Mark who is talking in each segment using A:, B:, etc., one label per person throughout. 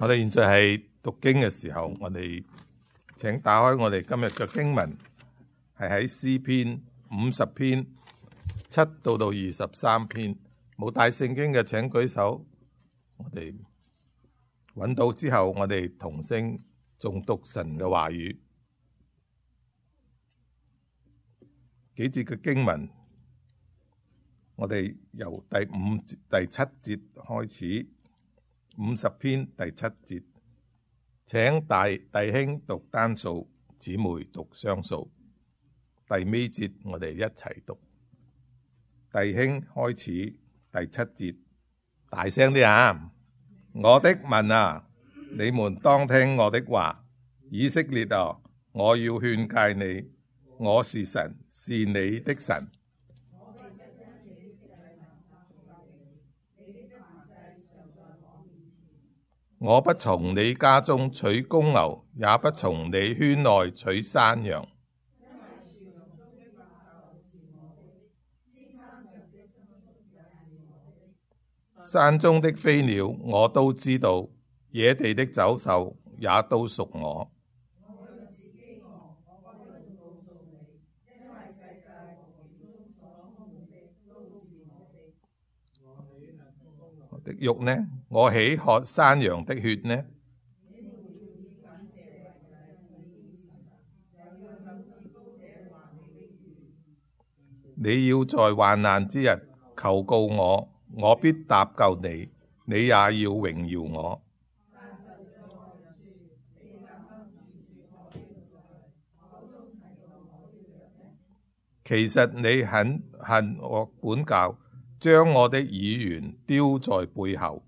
A: 我哋現在係讀經嘅時候，我哋請打開我哋今日嘅經文，係喺詩篇50篇7到23篇。冇帶聖經嘅請舉手。我哋揾到之後，我哋同聲誦讀神嘅話語。幾節嘅經文，我哋由第7節開始。50篇第7節，請弟兄讀單數，姊妹讀雙數。第尾節我哋一齊讀。弟兄開始第7節，大聲啲啊！我的民啊，你們當聽我的話。以色列啊，我要勸誡你，我是神，是你的神。我不從你家中取公牛，也不從你圈內取山羊。山中的飛鳥我都知道，野地的走獸也都屬我。我的肉呢？我豈喝山羊的血呢？你要在患難之日求告我，我必搭救你，你也要榮耀我。其實你很恨我管教，將我的議員丟在背後。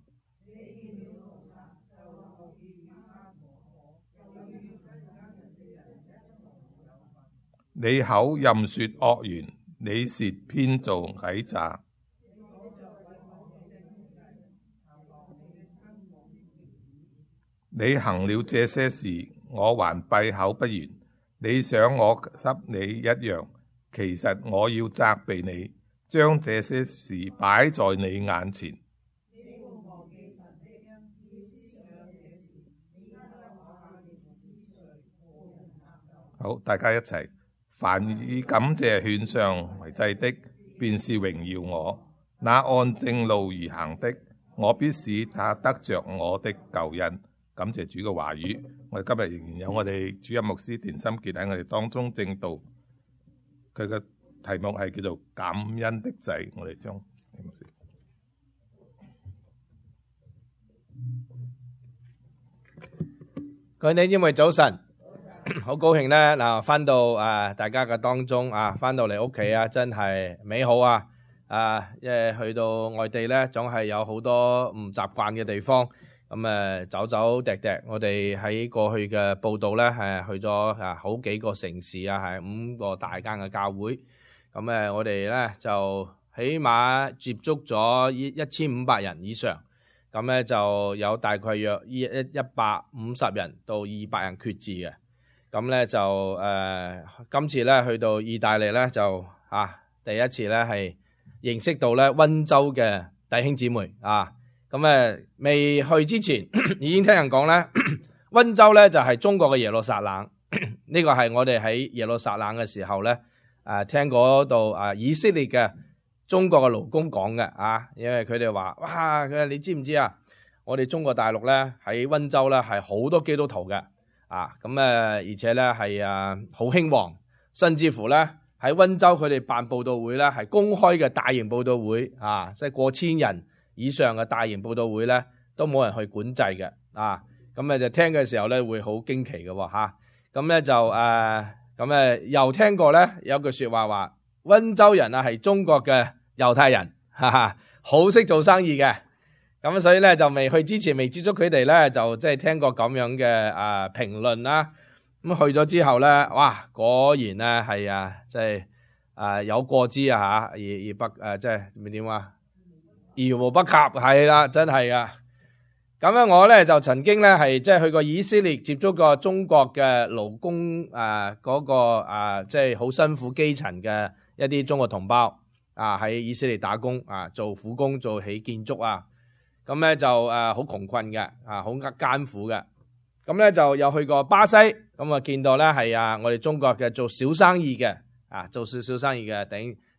A: 你口任說惡言，你舌編造詭詐。你行了這些事，我還閉口不言。你想我給你一樣，其實我要責備你，將這些事擺在你眼前。好，大家一齊。凡以感謝獻上為祭的，便是榮耀我；那按正路而行的，我必使他得着我的救恩。感謝主嘅話語。我哋今日仍然有我哋主任牧師田心傑喺我哋當中證道，佢嘅題目係叫做感恩的祭。我哋將田牧師，
B: 各位弟兄姊妹早晨。好高興咧，嗱，翻到大家嘅當中翻到嚟屋企真係美好因為去到外地咧，總係有好多唔習慣嘅地方，咁走走趯趯。我哋喺過去嘅報道咧，係去咗好幾個城市係5個大間嘅教會，咁我哋咧就起碼接觸咗1500人以上，咁咧就有大概約150人到200人決志嘅。咁咧就今次咧去到意大利咧就第一次咧係認識到咧溫州嘅弟兄姊妹咁未去之前已經聽人講咧，溫州咧就係中國嘅耶路撒冷。呢個係我哋喺耶路撒冷嘅時候咧聽嗰度以色列嘅中國嘅勞工講嘅因為佢哋話哇，佢話你知唔知我哋中國大陸咧喺溫州咧係好多基督徒嘅。而且咧係好興旺，甚至乎咧喺溫州佢哋辦佈道會咧係公開嘅大型佈道會即係過千人以上嘅大型佈道會咧都冇人去管制嘅咁就聽嘅時候咧會好驚奇嘅咁咧就又聽過咧有句說話溫州人係中國嘅猶太人，好識做生意嘅。咁所以咧就未去之前未接觸佢哋咧，就即係聽過咁樣嘅評論啦。咁去咗之後咧，哇，果然咧係即係有過之而不即係點而無不及係啦，真係噶。咁我咧就曾經咧係即係去過以色列，接觸過中國嘅勞工嗰個即係好辛苦基層嘅一啲中國同胞喺以色列打工做苦工做起建築咁咧就好窮困嘅，好艱苦嘅。咁咧就有去過巴西，咁啊見到咧係我哋中國嘅做小生意嘅，做小生意嘅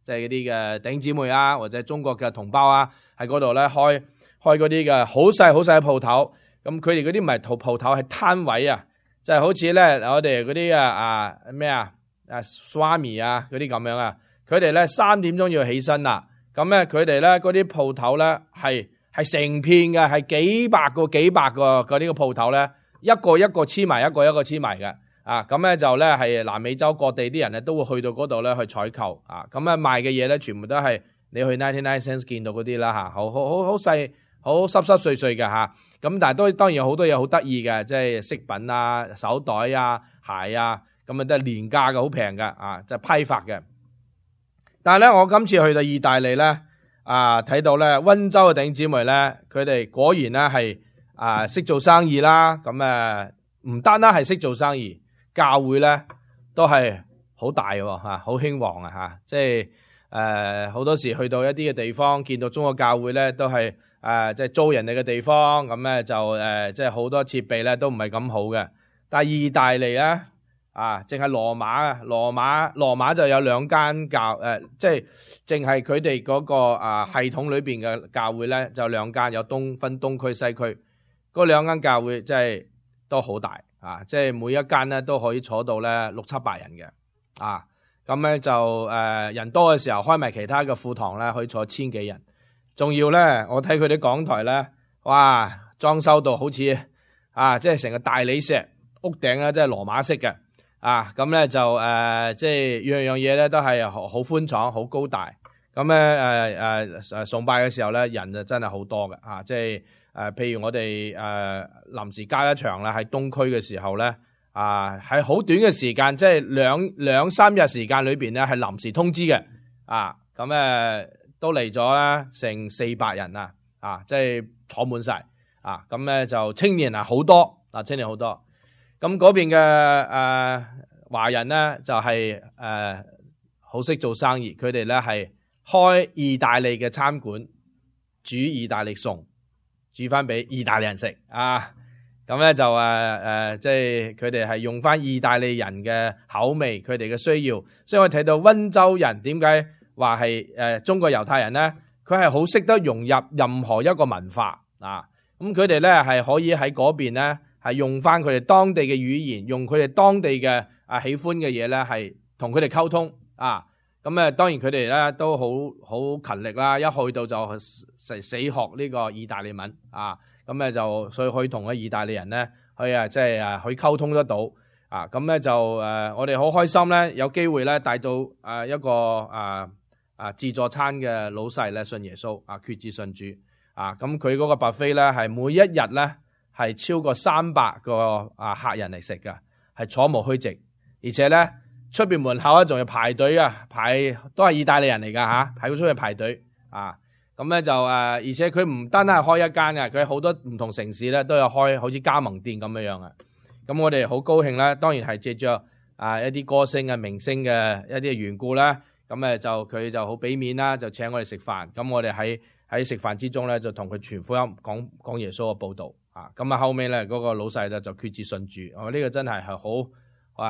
B: 即係嗰啲嘅弟兄姊妹啊，或者中國嘅同胞啊，喺嗰度咧開嗰啲嘅好細嘅鋪頭。咁佢哋嗰啲唔係鋪頭，係攤位啊，就係好似咧我哋嗰啲咩Swami 啊嗰啲咁樣啊，佢哋咧3點鐘要起身啦。咁咧佢哋咧嗰啲鋪頭咧係成片嘅，係幾百個嗰啲個鋪頭咧，一個黐埋，一個黐埋嘅。咁咧就咧係南美洲各地啲人咧都會去到嗰度咧去採購。咁咧賣嘅嘢咧全部都係你去99 cents 見到嗰啲啦，好細好濕碎嘅嚇。咁但係都當然有好多嘢好得意嘅，即係飾品啊、手袋啊、鞋啊，咁啊都係廉價嘅，好平嘅，即係批發嘅。但係咧我今次去到意大利咧，睇到咧溫州嘅弟兄姊妹咧，佢哋果然咧係識做生意啦。咁唔單單係識做生意，教會咧都係好大喎，好興旺啊，即係好多時去到一啲嘅地方，見到中國教會咧都係即係租人哋嘅地方，咁咧就即係好多設備咧都唔係咁好嘅。但係意大利咧淨係羅馬就有2間即係淨係佢哋嗰個系統裏邊嘅教會咧就2間，有分東區西區，嗰2間教會即係都好大即係每一間咧都可以坐到咧600-700人嘅咁咧就人多嘅時候開埋其他嘅副堂咧可以坐1000幾人。仲要咧，我睇佢啲講台咧，哇，裝修到好似即係成個大理石屋頂咧，即係羅馬式嘅咁咧就即係樣樣嘢咧都係好寬敞、好高大。咁咧崇拜嘅時候咧，人就真係好多嘅即係譬如我哋臨時加一場啦，喺東區嘅時候咧喺好短嘅時間，即係兩三日時間裏邊咧係臨時通知嘅咁都嚟咗啦，成400人即係坐滿晒咁咧就青年好多青年好多。咁嗰邊嘅華人咧就係好識做生意，佢哋咧係開意大利嘅餐館，煮意大利餸，煮翻俾意大利人食咁咧就即係佢哋係用翻意大利人嘅口味，佢哋嘅需要。所以我睇到溫州人點解話係中國猶太人咧，佢係好識得融入任何一個文化咁佢哋咧係可以喺嗰邊咧係用翻佢哋當地嘅語言，用佢哋當地嘅喜歡嘅嘢咧係同佢哋溝通咁當然佢哋咧都好勤力啦，一去到就死學呢個意大利文咁咧就所以可以同個意大利人咧去即係去溝通得到咁咧就我哋好開心咧，有機會咧帶到一個自助餐嘅老細咧信耶穌決志信主咁佢嗰個 buffet 咧係每一日咧係超過300個客人嚟食㗎，係坐無虛席，而且咧出邊門口咧仲要排隊都係意大利人嚟㗎喺出去排隊咁咧就而且佢唔單單係開一間嘅，佢好多唔同城市咧都有開，好似加盟店咁樣嘅。咁我哋好高興咧，當然係借着一啲歌星明星嘅一啲嘅緣故咧，咁就佢就好俾面啦，就請我哋食飯。咁我哋喺食飯之中咧，就同佢傳福音，講耶穌嘅報導咁後尾咧嗰個老細咧就決志信主。呢個真係好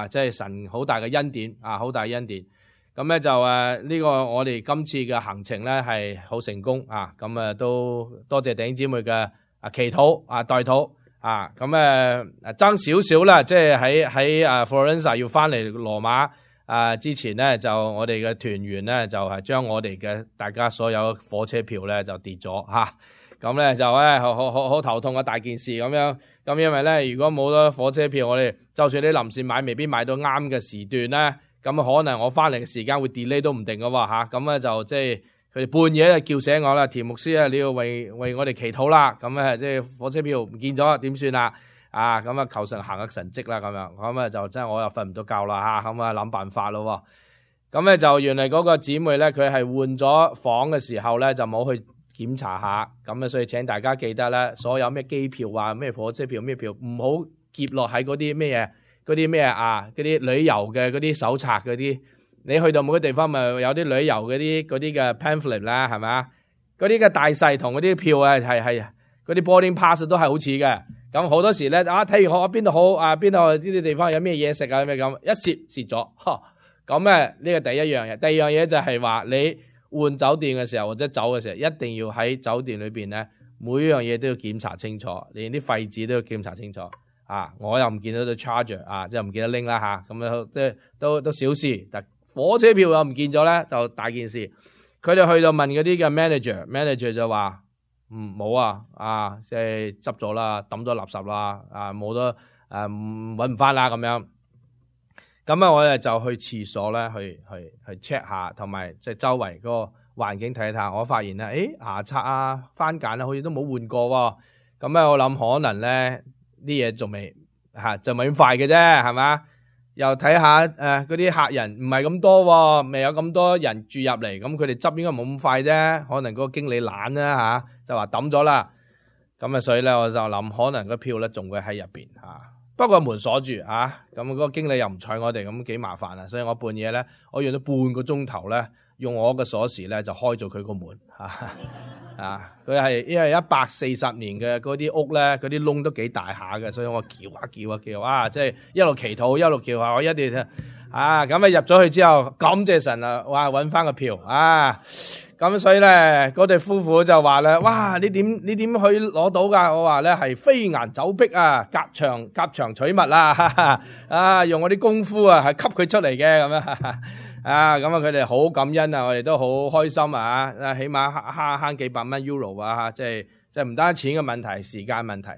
B: 即係神好大嘅恩典好大恩典。咁咧就呢個我哋今次嘅行程咧係好成功咁都多謝弟兄姊妹嘅祈禱代禱咁爭少少啦，即係喺Florence 要翻嚟羅馬之前咧，就我哋嘅團員咧就係將我哋嘅大家所有火車票咧就跌咗咁咧就好頭痛嘅大件事咁樣。咁因為咧如果冇咗火車票，我哋就算你臨時買，未必買到啱嘅時段咧。咁可能我翻嚟嘅時間會 delay 都唔定㗎喎咁咧就即係佢哋半夜就叫醒我啦，田牧師你要為我哋祈禱啦。咁即係火車票唔見咗點算啊？咁求神行個神蹟啦咁樣。咁就真係我又瞓唔到覺啦咁諗辦法咯。咁咧就原來嗰個姊妹咧佢係換咗房嘅時候咧就冇去檢查下。咁所以請大家記得咧，所有咩機票咩火車票咩票唔好夾落喺嗰啲咩嘢。嗰啲咩嗰啲旅遊嘅嗰啲手冊嗰啲，你去到每個地方咪有啲旅遊嗰啲嘅 pamphlet 啦，係咪？嗰啲嘅大細同嗰啲票嗰啲 boarding pass 都係好似嘅。咁好多時咧睇完邊度好邊度呢啲地方有咩嘢食啊咩咁，一蝕咗。咁咧呢個第一樣嘢，第二樣嘢就係話你換酒店嘅時候或者走嘅時候，一定要喺酒店裏邊咧，每樣嘢都要檢查清楚，連啲廢紙都要檢查清楚。我又唔見到對 charger 即係唔記得拎啦吓，咁樣即係都小事。但火車票又唔見咗咧，就大件事。佢哋去到問嗰啲嘅 manager 就話冇即係執咗啦，抌咗垃圾啦，冇得搵唔翻啦咁樣。咁我哋就去廁所咧去 check 下，同埋即係周圍嗰個環境睇下。我發現咧，牙刷番梘好似都冇換過喎。咁我諗可能咧啲嘢仲未就咪咁快嘅啫，係嘛？又睇下嗰啲客人唔係咁多喎，未有咁多人住入嚟，咁佢哋執應該冇咁快啫。可能嗰個經理懶啦就話抌咗啦。咁所以咧我就諗可能個票咧仲會喺入邊不過門鎖住咁嗰個經理又唔睬我哋，咁幾麻煩啊！所以我半夜咧，我用咗半個鐘頭咧，用我嘅鎖匙咧就開咗佢個門佢係因為140年嘅嗰啲屋咧，嗰啲窿都幾大下嘅，所以我叫即係一路祈禱一路叫我一定咁入咗去之後，感謝神啊！哇，搵翻個票咁所以咧，嗰對夫婦就話咧，哇，你點去攞到噶？我話咧係飛檐走壁夾牆取物用我啲功夫係吸佢出嚟嘅咁樣咁佢哋好感恩啊，我哋都好開心起碼慳幾百蚊 euro 即係唔單止錢嘅問題，時間問題。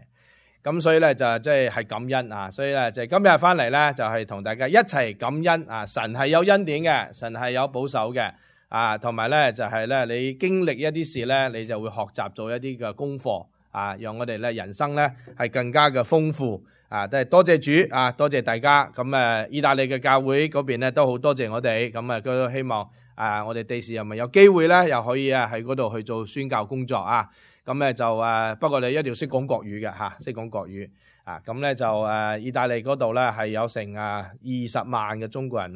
B: 咁所以咧就即係感恩所以咧就今日翻嚟咧就係同大家一齊感恩神係有恩典嘅，神係有保守嘅。同埋咧就係咧，你經歷一啲事咧，你就會學習做一啲嘅功課讓我哋咧人生咧係更加嘅豐富都係多謝主多謝大家。咁意大利嘅教會嗰邊咧都好多謝我哋，咁都希望我哋第時又咪有機會咧，又可以喺嗰度去做宣教工作咁咧就不過你一定要識講國語嘅識講國語咁咧就意大利嗰度咧係有成20萬嘅中國人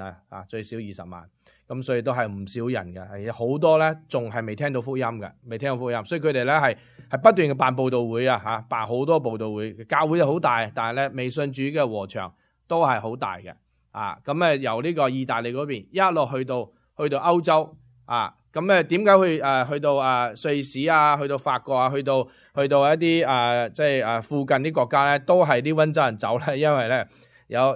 B: 最少20萬。咁所以都係唔少人嘅，係好多咧，仲係未聽到福音嘅，未聽到福音，所以佢哋咧係不斷嘅辦佈道會辦好多佈道會，教會就好大，但係咧未信主嘅禾場都係好大嘅，咁由呢個意大利嗰邊一路去到歐洲，咁點解去到瑞士去到法國去到一啲即係附近啲國家咧，都係啲溫州人走咧，因為咧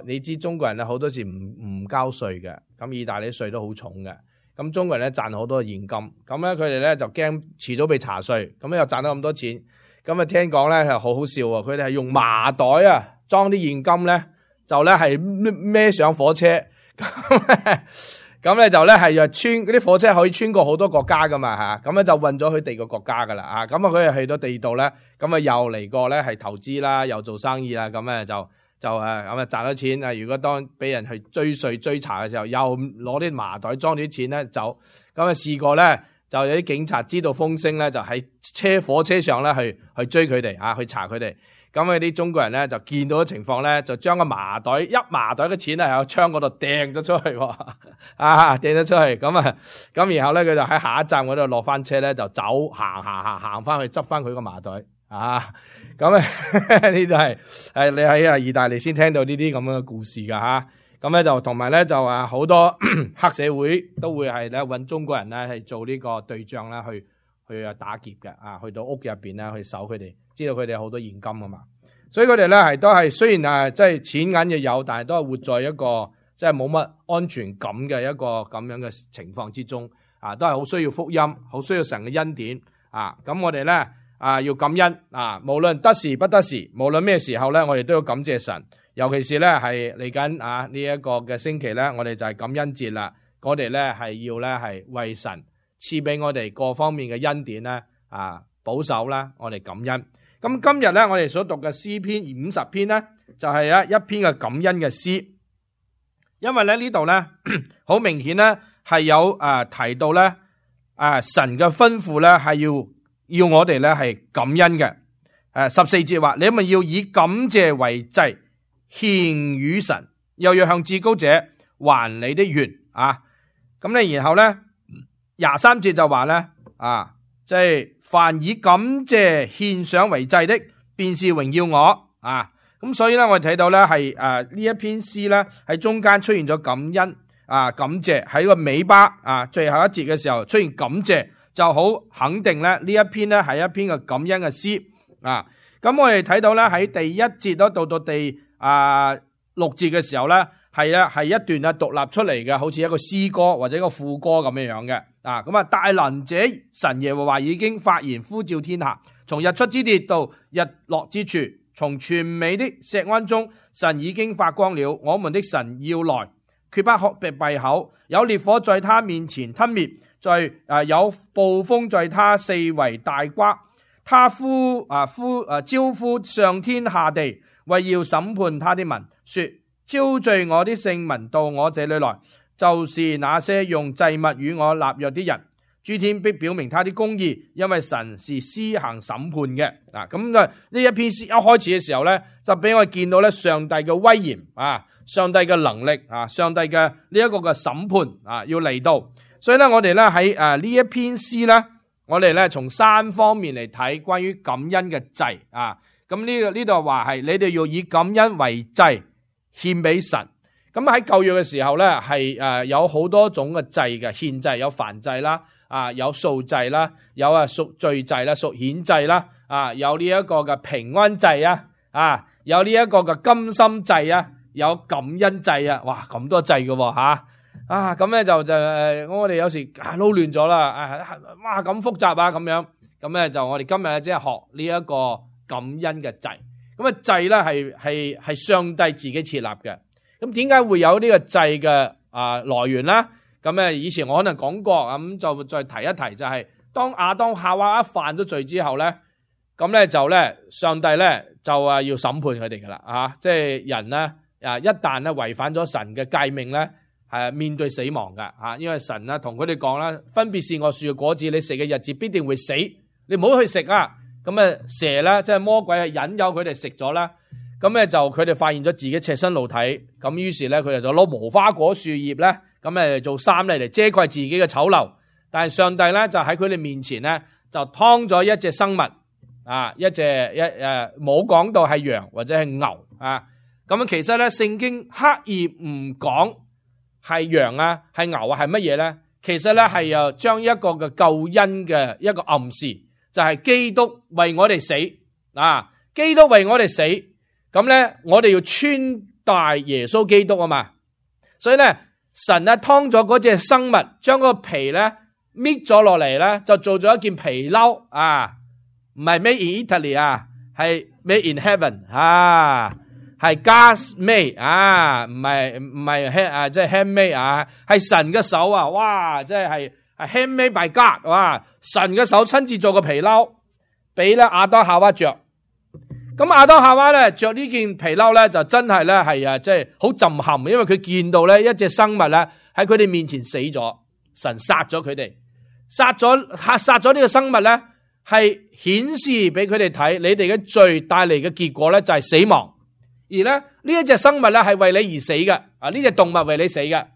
B: 你知中國人咧好多時唔交稅嘅。咁意大利稅都好重嘅，咁中國人咧賺好多現金，咁咧佢哋咧就驚遲早被查稅，咁又賺到咁多錢，咁聽講咧係好好笑喎，佢哋係用麻袋裝啲現金咧，就咧係孭上火車，咁咧就咧係穿嗰啲火車可以穿過好多國家噶嘛咁咧就運咗去第二個國家噶啦咁佢哋去到地度咧，咁又嚟過咧係投資啦，又做生意啦，咁咧就賺咗錢如果當俾人去追稅追查嘅時候，又攞啲麻袋裝啲錢咧走，咁試過咧就有啲警察知道風聲咧，就喺火車上咧去追佢哋去查佢哋。咁啲中國人咧就見到嘅情況咧，就將個麻袋麻袋嘅錢咧喺窗嗰度掟咗出去掟咗出去。咁然後咧佢就喺下一站嗰度落翻車咧，就走行翻去執翻佢個麻袋。咁呢度係你喺意大利先聽到呢啲咁樣嘅故事噶咁咧就同埋咧就好多黑社會都會係咧搵中國人咧係做呢個對象啦，去打劫嘅去到屋入邊咧去搜佢哋，知道佢哋有好多現金啊嘛，所以佢哋咧係都係雖然即係錢銀又有，但係都係活在一個即係冇乜安全感嘅一個咁樣嘅情況之中都係好需要福音，好需要神嘅恩典咁我哋咧要感恩無論得時不得時，無論咩時候咧，我哋都要感謝神。尤其是咧係嚟緊呢一個嘅星期咧，我哋就係感恩節啦。我哋咧係要咧係為神賜俾我哋各方面嘅恩典咧保守啦，我哋感恩。咁今日咧我哋所讀嘅詩篇50篇咧，就係一篇嘅感恩嘅詩。因為咧呢度咧好明顯咧係有提到咧神嘅吩咐咧係要我哋咧係感恩嘅。14節話，你咪要以感謝為祭獻與神，又要向至高者還你的願咁咧，然後咧23節就話咧即係凡以感謝獻上為祭的，便是榮耀我啊。咁所以咧，我哋睇到咧係呢一篇詩咧喺中間出現咗感恩感謝，喺個尾巴最後一節嘅時候出現感謝，就好肯定咧呢一篇咧係一篇嘅感恩嘅詩啊。咁我哋睇到咧喺第一節到第6節嘅時候咧係一段獨立出嚟嘅，好似一個詩歌或者一個副歌咁樣嘅咁大能者神耶和華已經發言呼召天下，從日出之地到日落之處，從全美的錫安中，神已經發光了。我們的神要來，決不閉口。有烈火在他面前吞滅，有暴風在他四圍大颳。他招呼上天下地，為要審判他的民，說：招聚我的聖民到我這裏來，就是那些用祭物與我立約的人。諸天必表明他的公義，因為神是施行審判嘅。咁呢一篇詩一開始嘅時候咧，就俾我見到咧上帝嘅威嚴上帝嘅能力上帝嘅呢一個嘅審判要嚟到。所以咧，我哋咧喺呢一篇詩咧，我哋咧從3方面嚟睇關於感恩嘅祭咁呢度話係你哋要以感恩為祭獻俾神。咁喺舊約嘅時候咧係有好多種嘅祭嘅獻祭，有燔祭啦。有素祭啦，有贖罪祭啦，贖愆祭啦，有呢一個嘅平安祭有呢一個嘅甘心祭有感恩祭哇，咁多祭嘅咁咧就我哋有時撈亂咗啦，哇咁複雜咁樣，咁咧就我哋今日即係學呢一個感恩嘅祭。咁祭咧係上帝自己設立嘅。咁點解會有呢個祭嘅來源咧？咁以前我可能講過，咁就再提一提，就係當亞當夏娃一犯咗罪之後咧，咁咧就咧上帝咧就要審判佢哋噶啦即係人咧一旦咧違反咗神嘅誡命咧，係面對死亡噶因為神咧同佢哋講啦，分別善惡樹嘅果子，你食嘅日子必定會死，你唔好去食咁蛇咧即係魔鬼係引誘佢哋食咗啦，咁咧就佢哋發現咗自己赤身露體，咁於是咧佢哋就攞無花果樹葉咧。咁做衫嚟遮蓋自己嘅醜陋，但係上帝咧就喺佢哋面前咧就劏咗一隻生物冇講到係羊或者係牛咁其實咧聖經刻意唔講係羊係牛係乜嘢咧？其實咧係又將一個嘅救恩嘅一個暗示，就係基督為我哋死基督為我哋死，咁咧我哋要穿戴耶穌基督嘛，所以咧。神劏咗嗰隻生物，將個皮咧搣咗落嚟咧，就做咗一件皮褸唔係 made in Italy 係 made in heaven 係 God's made 唔係即係 handmade 係神嘅手哇，即係 handmade by God 神嘅手親自做個皮褸，俾咧亞當夏娃着。咁亞當夏娃咧着呢件皮褸咧，就真係咧係即係好震撼，因為佢見到咧一隻生物咧喺佢哋面前死咗，神殺咗佢哋，殺咗呢個生物咧係顯示俾佢哋睇，你哋嘅罪帶嚟嘅結果咧就係死亡，而咧呢一隻生物咧係為你而死嘅呢隻動物為你死嘅，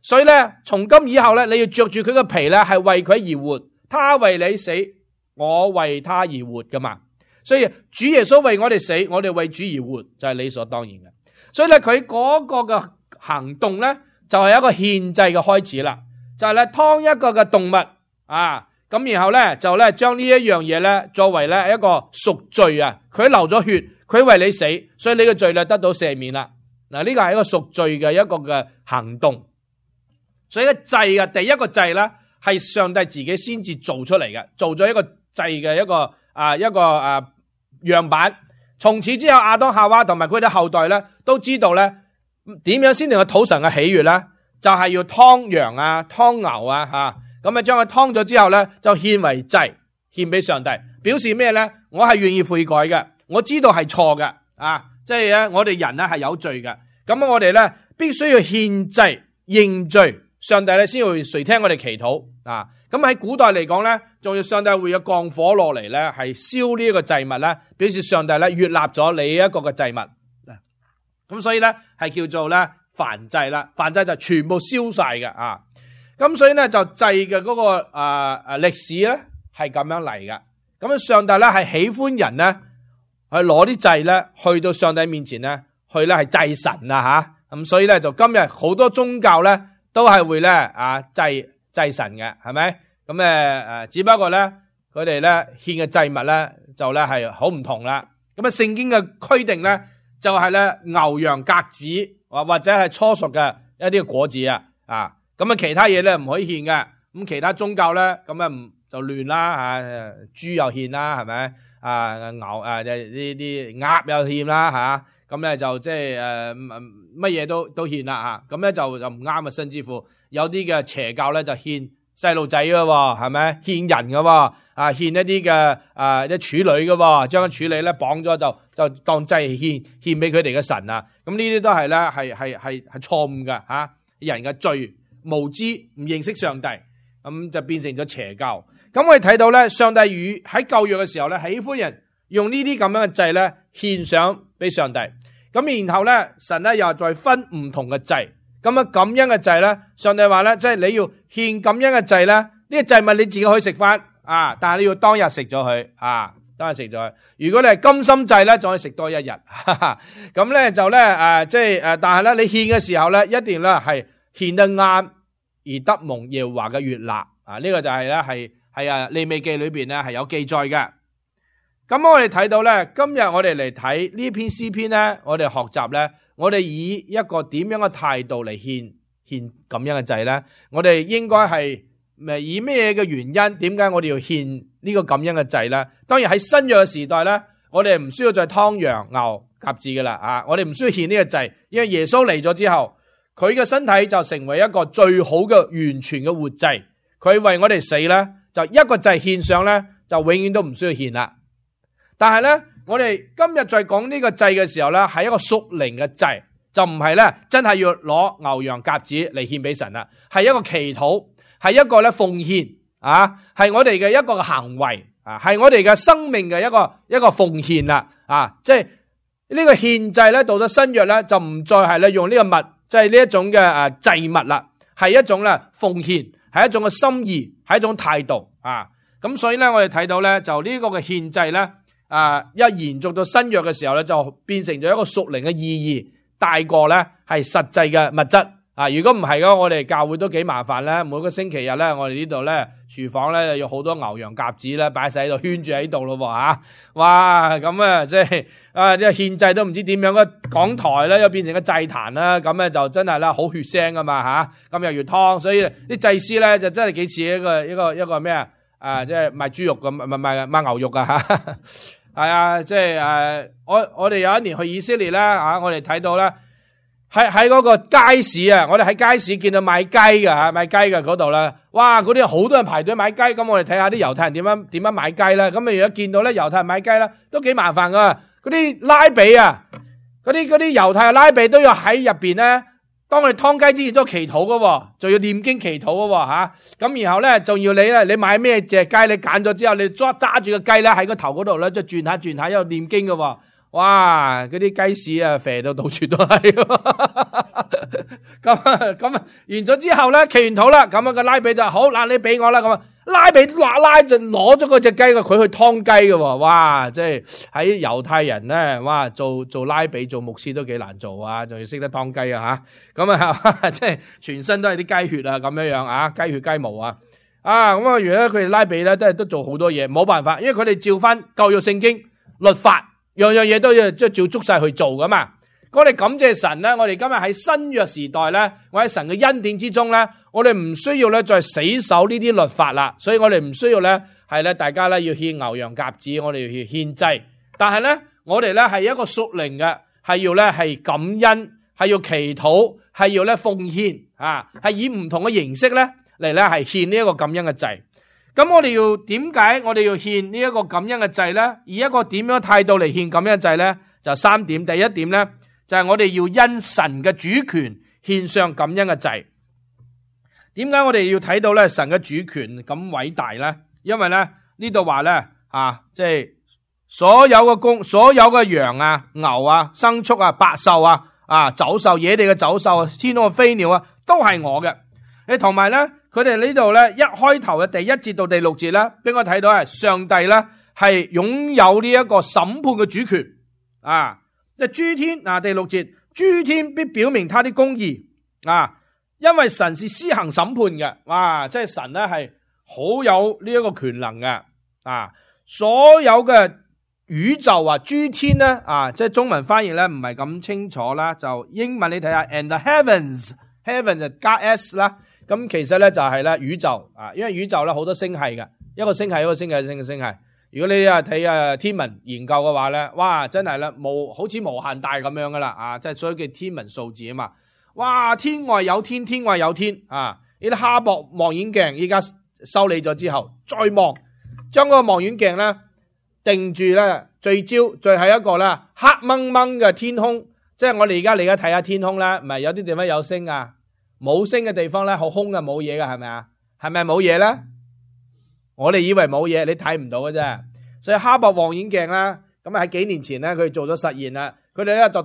B: 所以咧從今以後咧你要着住佢嘅皮咧係為佢而活，他為你死，我為他而活噶嘛。所以主耶穌為我哋死，我哋為主而活，就係理所當然嘅。所以咧佢嗰個嘅行動咧，就係一個獻祭嘅開始啦。就係咧劏一個嘅動物咁然後咧就咧將呢一樣嘢咧作為咧一個贖罪佢流咗血，佢為你死，所以你嘅罪咧得到赦免啦。嗱，呢個係一個贖罪嘅一個嘅行動。所以個祭嘅第一個祭咧係上帝自己先至做出嚟嘅，做咗一個祭嘅一個樣板。從此之後亞當夏娃同埋佢哋後代咧都知道咧點樣先能夠討神嘅喜悅咧，就係要劏羊劏牛咁將佢劏咗之後咧就獻為祭，獻俾上帝，表示咩咧？我係願意悔改嘅，我知道係錯嘅即係咧我哋人咧係有罪嘅，咁我哋咧必須要獻祭認罪，上帝咧先會垂聽我哋祈禱咁喺古代嚟講咧，仲要上帝會有降火落嚟咧，係燒呢一個祭物咧，表示上帝咧悅納咗你一個嘅祭物。咁所以咧係叫做咧燔祭啦，燔祭就全部燒晒嘅咁所以咧就祭嘅嗰個歷史咧係咁樣嚟嘅。咁上帝咧係喜歡人咧去攞啲祭咧去到上帝面前咧去咧係祭神啊吓。咁所以咧就今日好多宗教咧都係會咧祭神嘅，係咪？咁只不過咧佢哋咧獻嘅祭物咧就咧係好唔同啦。咁聖經嘅規定咧就係咧牛羊鴿子或者係初熟嘅一啲果子啊。咁其他嘢咧唔可以獻嘅。咁其他宗教咧咁就亂啦吓，豬又獻啦，係咪？牛呢啲鴨又獻啦吓，咁咧就即係乜嘢都獻啦吓，咁咧就唔啱啊，甚至乎有啲嘅邪教咧就獻細路仔噶，係咪？獻人噶，獻一啲嘅啲處女噶，將個處女咧綁咗就當祭獻俾佢哋嘅神啊！咁呢啲都係咧係錯誤嘅吓，人嘅罪無知唔認識上帝，咁就變成咗邪教。咁我哋睇到咧，上帝喺舊約嘅時候咧，喜歡人用呢啲咁樣嘅祭咧獻上俾上帝。咁然後咧，神咧又再分唔同嘅祭。咁感恩嘅祭咧，上帝話咧，即係你要獻感恩嘅祭咧，呢個祭物你自己可以食翻啊，但係你要當日食咗佢啊，當日食咗佢。如果你係甘心祭咧，仲可以食多一日。咁咧就咧但係咧你獻嘅時候咧，一定咧係獻得啱而得蒙耶和華嘅悅納啊。呢個就係咧係利未記裏邊咧係有記載嘅。咁我哋睇到咧，今日我哋嚟睇呢篇詩篇咧，我哋學習咧，我哋以一個點樣嘅態度嚟獻咁樣嘅祭咧？我哋應該係以咩嘅原因？點解我哋要獻呢個咁樣嘅祭咧？當然喺新約嘅時代咧，我哋唔需要再劏羊牛鴿子噶啦啊！我哋唔需要獻呢個祭，因為耶穌嚟咗之後，佢嘅身體就成為一個最好嘅完全嘅活祭。佢為我哋死咧，就一個祭獻上咧，就永遠都唔需要獻啦。但係咧，我哋今日在講呢個祭嘅時候咧，係一個屬靈嘅祭，就唔係咧真係要攞牛羊鴿子嚟獻俾神啦，係一個祈禱，係一個咧奉獻啊，係我哋嘅一個行為啊，係我哋嘅生命嘅一個奉獻啦啊，即係呢個獻祭咧，到咗新約咧就唔再係咧用呢個物，即係呢一種嘅祭物啦，係一種咧奉獻，係一種嘅心意，係一種態度啊。咁所以咧，我哋睇到咧，就呢個嘅獻祭咧。一延續到新約嘅時候咧，就變成咗一個屬靈嘅意義，大過咧係實際嘅物質啊！如果唔係嘅，我哋教會都幾麻煩咧。每個星期日咧，我哋呢度咧廚房咧有好多牛羊鴿子咧擺晒喺度圈住喺度咯吓，哇！咁即係獻祭都唔知點樣嘅講台咧，又變成個祭壇啦，咁咧就真係啦好血腥噶嘛吓，咁又要湯，所以啲祭司咧就真係幾似一個咩即係賣豬肉咁，賣牛肉啊吓。係啊，即係我哋有一年去以色列啦，我哋睇到咧喺嗰個街市啊，我哋喺街市見到買雞嘅吓，買雞嘅嗰度咧，哇，嗰啲好多人排隊買雞，咁我哋睇下啲猶太人點樣買雞啦。咁如果見到咧猶太人買雞啦，都幾麻煩噶，嗰啲拉比啊，嗰啲猶太人拉比都要喺入邊咧。當我哋劏雞之前都祈禱嘅，仲要念經祈禱嘅吓，咁然後咧仲要你買咩隻雞，你揀咗之後，你揸住個雞咧喺個頭嗰度咧，即係轉下，一路念經嘅，哇！嗰啲雞屎啊，肥到到處都係，咁完咗之後咧，祈完禱啦，咁個拉比就好嗱，你俾我啦，咁拉比拉就攞咗嗰隻雞嘅，佢去劏雞嘅，哇！即係喺猶太人咧，哇，做拉比做牧師都幾難做啊，仲要識得劏雞啊吓，咁即係全身都係啲雞血啊，咁樣啊，雞血雞毛啊，咁原來佢哋拉比咧都做好多嘢，冇辦法，因為佢哋照翻舊約聖經律法。樣樣嘢都要即係照足晒去做噶嘛。我哋感謝神咧，我哋今日喺新約時代咧，我喺神嘅恩典之中咧，我哋唔需要咧再死守呢啲律法啦，所以我哋唔需要咧係咧大家咧要獻牛羊鴿子，我哋要獻祭。但係咧我哋咧係一個屬靈嘅，係要咧係感恩，係要祈禱，係要咧奉獻啊，係以唔同嘅形式咧嚟咧係獻呢一個感恩嘅祭。咁我哋要點解我哋要獻呢一個感恩嘅祭咧？以一個點樣態度嚟獻感恩嘅祭咧？就3點。第一點咧，就係我哋要因神嘅主權獻上感恩嘅祭。點解我哋要睇到咧神嘅主權咁偉大咧？因為咧呢度話咧即係所有嘅羊啊、牛啊、牲畜啊、百獸啊、走獸、野地嘅走獸啊、天空嘅飛鳥啊，都係我嘅。同埋咧。佢哋呢度咧一開頭嘅第1節到第6節咧，俾我睇到係上帝咧係擁有呢一個審判嘅主權啊！即係諸天第6節，諸天必表明他的公義啊！因為神是施行審判嘅，哇！即係神咧係好有呢一個權能嘅啊！所有嘅宇宙諸天咧即係中文翻譯咧唔係咁清楚啦，就英文你睇下 ，and the heavens 就加 s 啦。咁其實咧就係咧宇宙因為宇宙咧好多星系嘅，一個星系一個星系星系。如果你睇天文研究嘅話咧，哇真係咧好似無限大咁樣噶啦即係所謂嘅天文數字啊嘛。哇天外有天，天外有天呢啲哈勃望遠鏡依家修理咗之後，再望將嗰個望遠鏡咧定住咧聚焦，最後一個咧黑掹掹嘅天空，即係我哋而家睇下天空咧，唔係有啲地方有星冇星嘅地方咧，好空嘅冇嘢嘅，係咪啊？係咪冇嘢咧？我哋以為冇嘢，你睇唔到嘅啫。所以哈勃望遠鏡咧，咁喺幾年前咧，佢做咗實驗啦。佢哋咧就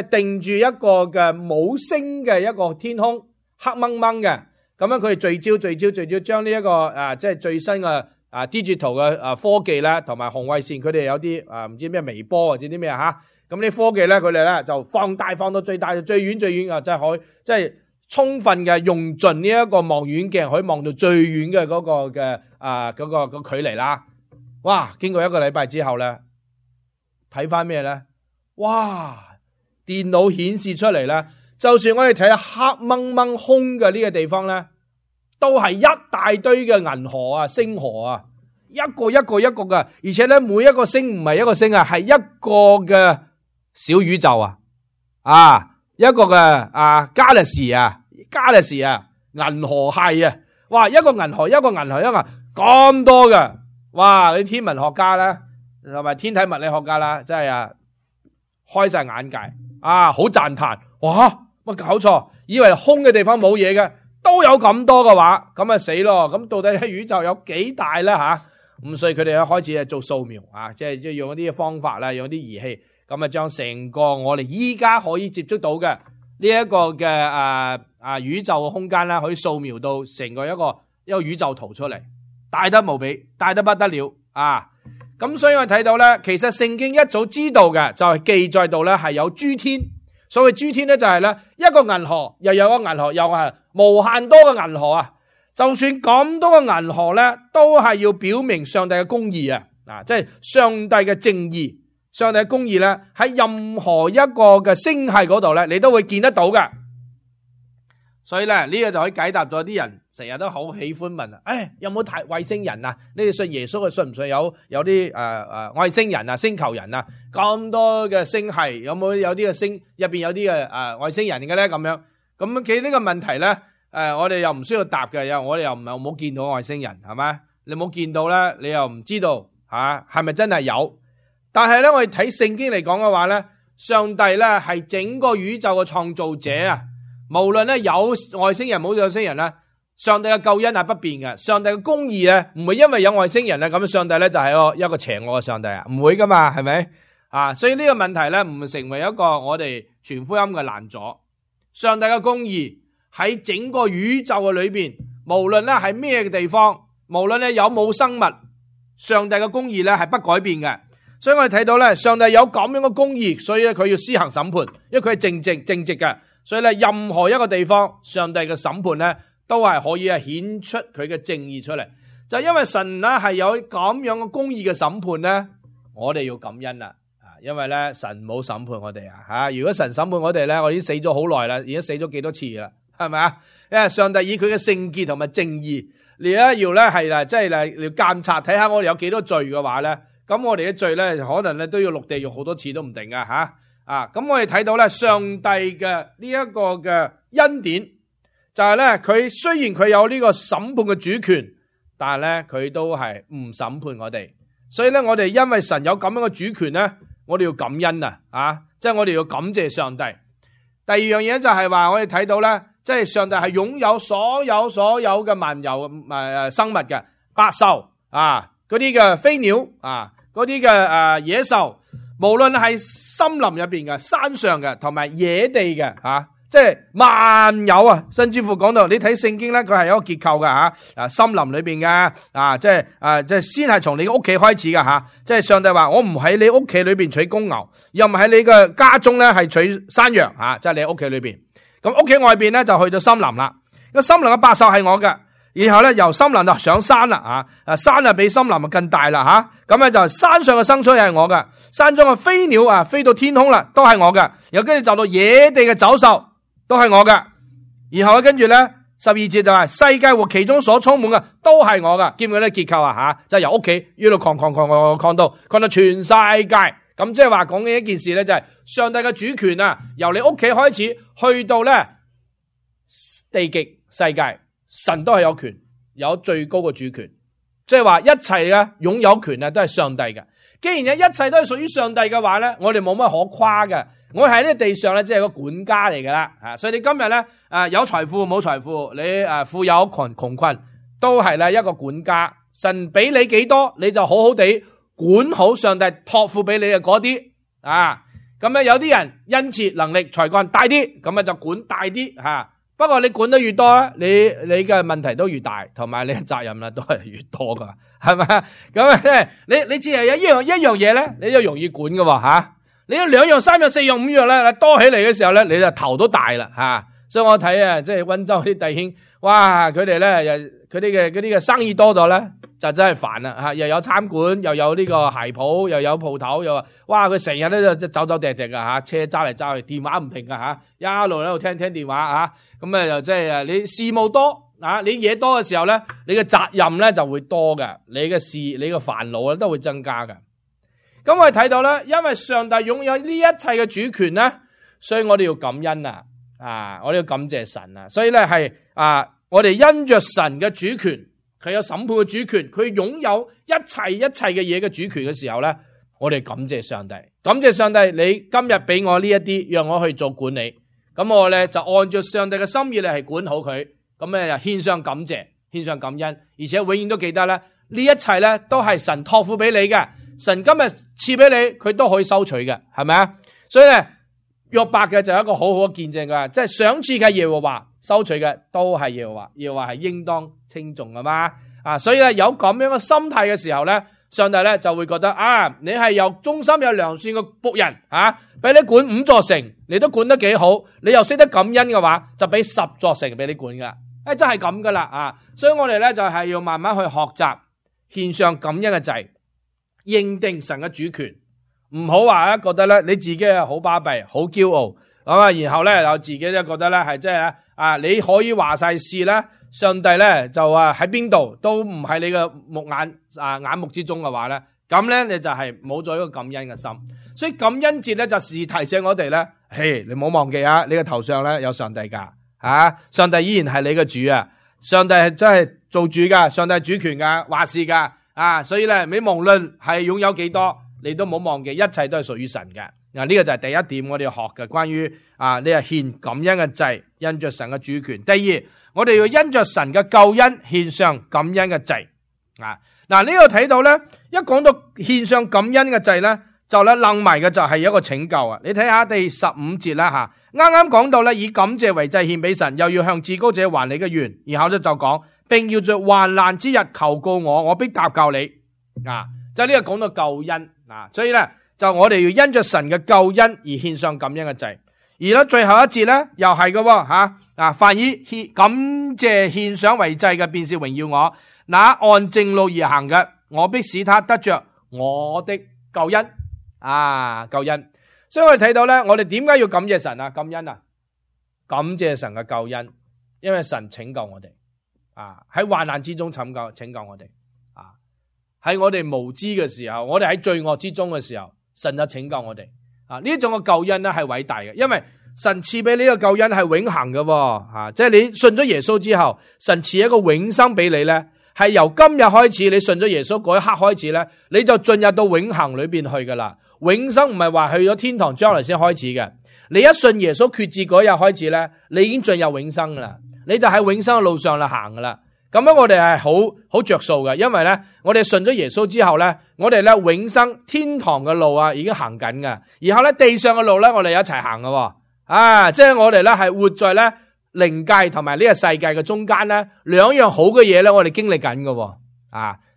B: 定住一個嘅冇星嘅一個天空，黑掹掹嘅。咁樣佢哋聚焦，將呢一個即係最新嘅digital 嘅科技咧，同埋紅外線，佢哋有啲唔知咩微波或者啲咩咁啲科技咧，佢哋咧就放大放到最大，最遠即係可以即係充分嘅用盡呢一個望遠鏡，可以望到最遠嘅嗰個嘅嗰個距離啦。哇！經過1個禮拜之後咧，睇翻咩咧？哇！電腦顯示出嚟咧，就算我哋睇下黑掹掹空嘅呢個地方咧，都係一大堆嘅銀河星河一個嘅，而且咧每一個星唔係一個星係一個嘅小宇宙一個嘅galaxy 銀河系哇！一個銀河咁多嘅，哇！啲天文學家咧同埋天體物理學家啦，真係開晒眼界好讚嘆，哇！乜搞錯？以為空嘅地方冇嘢嘅，都有咁多嘅話，咁死咯！咁到底宇宙有幾大咧咁所以佢哋開始做掃描即係用一啲方法啦，用一啲儀器，咁將成個我哋依家可以接觸到嘅呢一個嘅宇宙嘅空間啦，可以掃描到成個一個宇宙圖出嚟，大得無比，大得不得了咁所以我睇到咧，其實聖經一早知道嘅就係記載到咧係有諸天，所謂諸天咧就係咧一個銀河又有個銀河，又係無限多嘅銀河就算咁多嘅銀河咧，都係要表明上帝嘅公義即係上帝嘅正義，上帝嘅公義咧喺任何一個嘅星系嗰度咧，你都會見得到嘅。所以咧呢個就可以解答咗啲人成日都好喜歡問有冇睇外星人你哋信耶穌嘅信唔信有啲外星人星球人咁多嘅星系有冇有啲嘅星入邊有啲嘅外星人嘅咧咁樣？咁其實呢個問題咧我哋又唔需要答嘅，我哋又唔係冇見到外星人係咪？你冇見到咧，你又唔知道係咪真係有？但係咧我哋睇聖經嚟講嘅話咧，上帝咧係整個宇宙嘅創造者無論咧有外星人冇外星人咧，上帝嘅救恩係不變嘅，上帝嘅公義咧唔會因為有外星人咁上帝咧就係一個邪惡嘅上帝唔會噶嘛，係咪所以呢個問題咧唔成為一個我哋傳福音嘅難阻。上帝嘅公義喺整個宇宙嘅裏邊，無論咧係咩嘅地方，無論咧有冇生物，上帝嘅公義咧係不改變嘅。所以我哋睇到咧，上帝有咁樣嘅公義，所以咧佢要施行審判，因為佢係正直嘅。所以咧，任何一個地方，上帝嘅審判咧，都係可以顯出佢嘅正義出嚟。就因為神咧係有咁樣嘅公義嘅審判咧，我哋要感恩啦。因為咧神冇審判我哋如果神審判我哋咧，我已經死咗好耐啦，已經死咗幾多次啦，係咪啊？因為上帝以佢嘅聖潔同埋正義，你咧要咧係即係嚟監察，睇下我哋有幾多罪嘅話咧，咁我哋嘅罪咧可能咧都要落地獄好多次都唔定噶咁我哋睇到咧，上帝嘅呢一個嘅恩典就係咧，佢雖然佢有呢個審判嘅主權，但係咧佢都係唔審判我哋。所以咧，我哋因為神有咁樣嘅主權咧，我哋要感恩即係我哋要感謝上帝。第二樣嘢就係話，我哋睇到咧，即係上帝係擁有所有嘅萬有生物嘅，百獸嗰啲嘅飛鳥嗰啲嘅野獸。無論係森林入邊嘅、山上嘅，同埋野地嘅即係萬有啊，甚至乎講到你睇聖經咧，佢係有一個結構噶吓，森林裏邊嘅即係先係從你屋企開始噶吓，即係上帝話我唔喺你屋企裏邊取公牛，又唔喺你嘅家中咧係取山羊吓，即係你屋企裏邊，咁屋企外邊咧就去到森林啦，個森林嘅百獸係我嘅，然後咧由森林就上山啦山啊比森林啊更大啦吓，咁咧就山上嘅牲畜係我嘅，山中嘅飛鳥飛到天空啦都係我嘅，然後跟住就到野地嘅走獸。都係我嘅，然後跟住咧12節就係世界和其中所充滿嘅都係我嘅，見唔見啲結構啊？就係由屋企一路擴到全世界，咁即係話講嘅一件事咧，就係上帝嘅主權啊，由你屋企開始去到咧地極世界，神都係有權，有最高嘅主權，即係話一切嘅擁有權啊都係上帝嘅。既然一切都係屬於上帝嘅話咧，我哋冇乜可誇嘅。我喺呢個地上咧，即係個管家嚟噶啦，所以你今日咧，有財富冇財富，你富有窮困，都係咧一個管家。神俾你幾多，你就好好地管好上帝託付俾你嘅嗰啲咁咧有啲人恩賜能力才幹大啲，咁就管大啲不過你管得越多咧，你嘅問題都越大，同埋你嘅責任都係越多噶，係咪？咁你只係有一樣嘢咧，你就容易管噶你有2樣、3樣、4樣、5樣咧，多起嚟嘅時候咧，你就頭都大啦所以我睇即係溫州啲弟兄，哇，佢哋咧佢哋嘅生意多咗咧，就真係煩啦又有餐館，又有呢個鞋鋪，又有鋪頭，又話哇，佢成日咧就走走趯趯噶車揸嚟揸去，電話唔停噶一路喺度聽電話咁又即係你事務多你嘢多嘅時候咧，你嘅責任咧就會多嘅，你嘅煩惱都會增加嘅。咁我哋睇到咧，因為上帝擁有呢一切嘅主權咧，所以我哋要感恩我哋要感謝神所以咧係我哋因着神嘅主權，佢有審判嘅主權，佢擁有一切嘅嘢嘅主權嘅時候咧，我哋感謝上帝，感謝上帝，你今日俾我呢一啲，讓我去做管理，咁我咧就按照上帝嘅心意嚟係管好佢，咁咧就獻上感謝，獻上感恩，而且永遠都記得咧，呢一切咧都係神託付俾你嘅。神今日賜俾你，佢都可以收取嘅，係咪啊？所以咧，約伯嘅就有一個好好嘅見證噶，即係賞賜嘅耶和華，收取嘅都係耶和華，耶和華係應當稱頌噶嘛。所以咧有咁樣嘅心態嘅時候咧，上帝咧就會覺得你係有忠心有良善嘅僕人俾你管5座城，你都管得幾好，你又識得感恩嘅話，就俾10座城俾你管噶，真係咁噶啦所以我哋咧就係要慢慢去學習獻上感恩嘅祭。認定神嘅主權，唔好話覺得咧你自己係好巴閉、好驕傲，然後咧又自己咧覺得咧係即係你可以話晒事咧，上帝咧就喺邊度都唔喺你嘅眼目之中嘅話咧，咁咧你就係冇咗一個感恩嘅心。所以感恩節咧就時提醒我哋咧，嘿，你唔好忘記你嘅頭上咧有上帝噶上帝依然係你嘅主上帝係真係做主噶，上帝係主權噶，話事噶。所以咧，你無論係擁有幾多，你都冇忘記，一切都係屬於神嘅。呢個就係第一點，我哋要學嘅，關於你係獻感恩嘅祭，因着神嘅主權。第二，我哋要因着神嘅救恩獻上感恩嘅祭。呢度睇到咧，一講到獻上感恩嘅祭咧，就咧楞埋嘅就係一個拯救你睇下第15節啦啱啱講到咧，以感謝為祭獻俾神，又要向至高者還你嘅願，然後咧就講。並要在患難之日求告我，我必答救你。就呢個講到救恩所以咧就我哋要因着神嘅救恩而獻上感恩嘅祭。而咧最後一節咧又係嘅凡以感謝獻上為祭嘅，便是榮耀我。那按正路而行嘅，我必使他得着我的救恩。救恩。所以我哋睇到咧，我哋點解要感謝神感恩感謝神嘅救恩，因為神拯救我哋。喺患難之中拯救我哋喺我哋無知嘅時候，我哋喺罪惡之中嘅時候，神就拯救我哋呢種嘅救恩咧係偉大嘅，因為神賜俾你嘅救恩係永恆嘅即係你信咗耶穌之後，神賜一個永生俾你咧，係由今日開始，你信咗耶穌嗰一刻開始咧，你就進入到永恆裏邊去噶啦。永生唔係話去咗天堂將來先開始嘅，你一信耶穌決志嗰日開始咧，你已經進入永生噶啦。你就喺永生嘅路上嚟行噶啦，咁樣我哋係好着數嘅，因為咧我哋信咗耶穌之後咧，我哋咧永生天堂嘅路已經行緊噶，然後咧地上嘅路咧我哋一齊行噶，即係我哋咧係活在咧靈界同埋呢個世界嘅中間咧，兩樣好嘅嘢咧，我哋經歷緊嘅。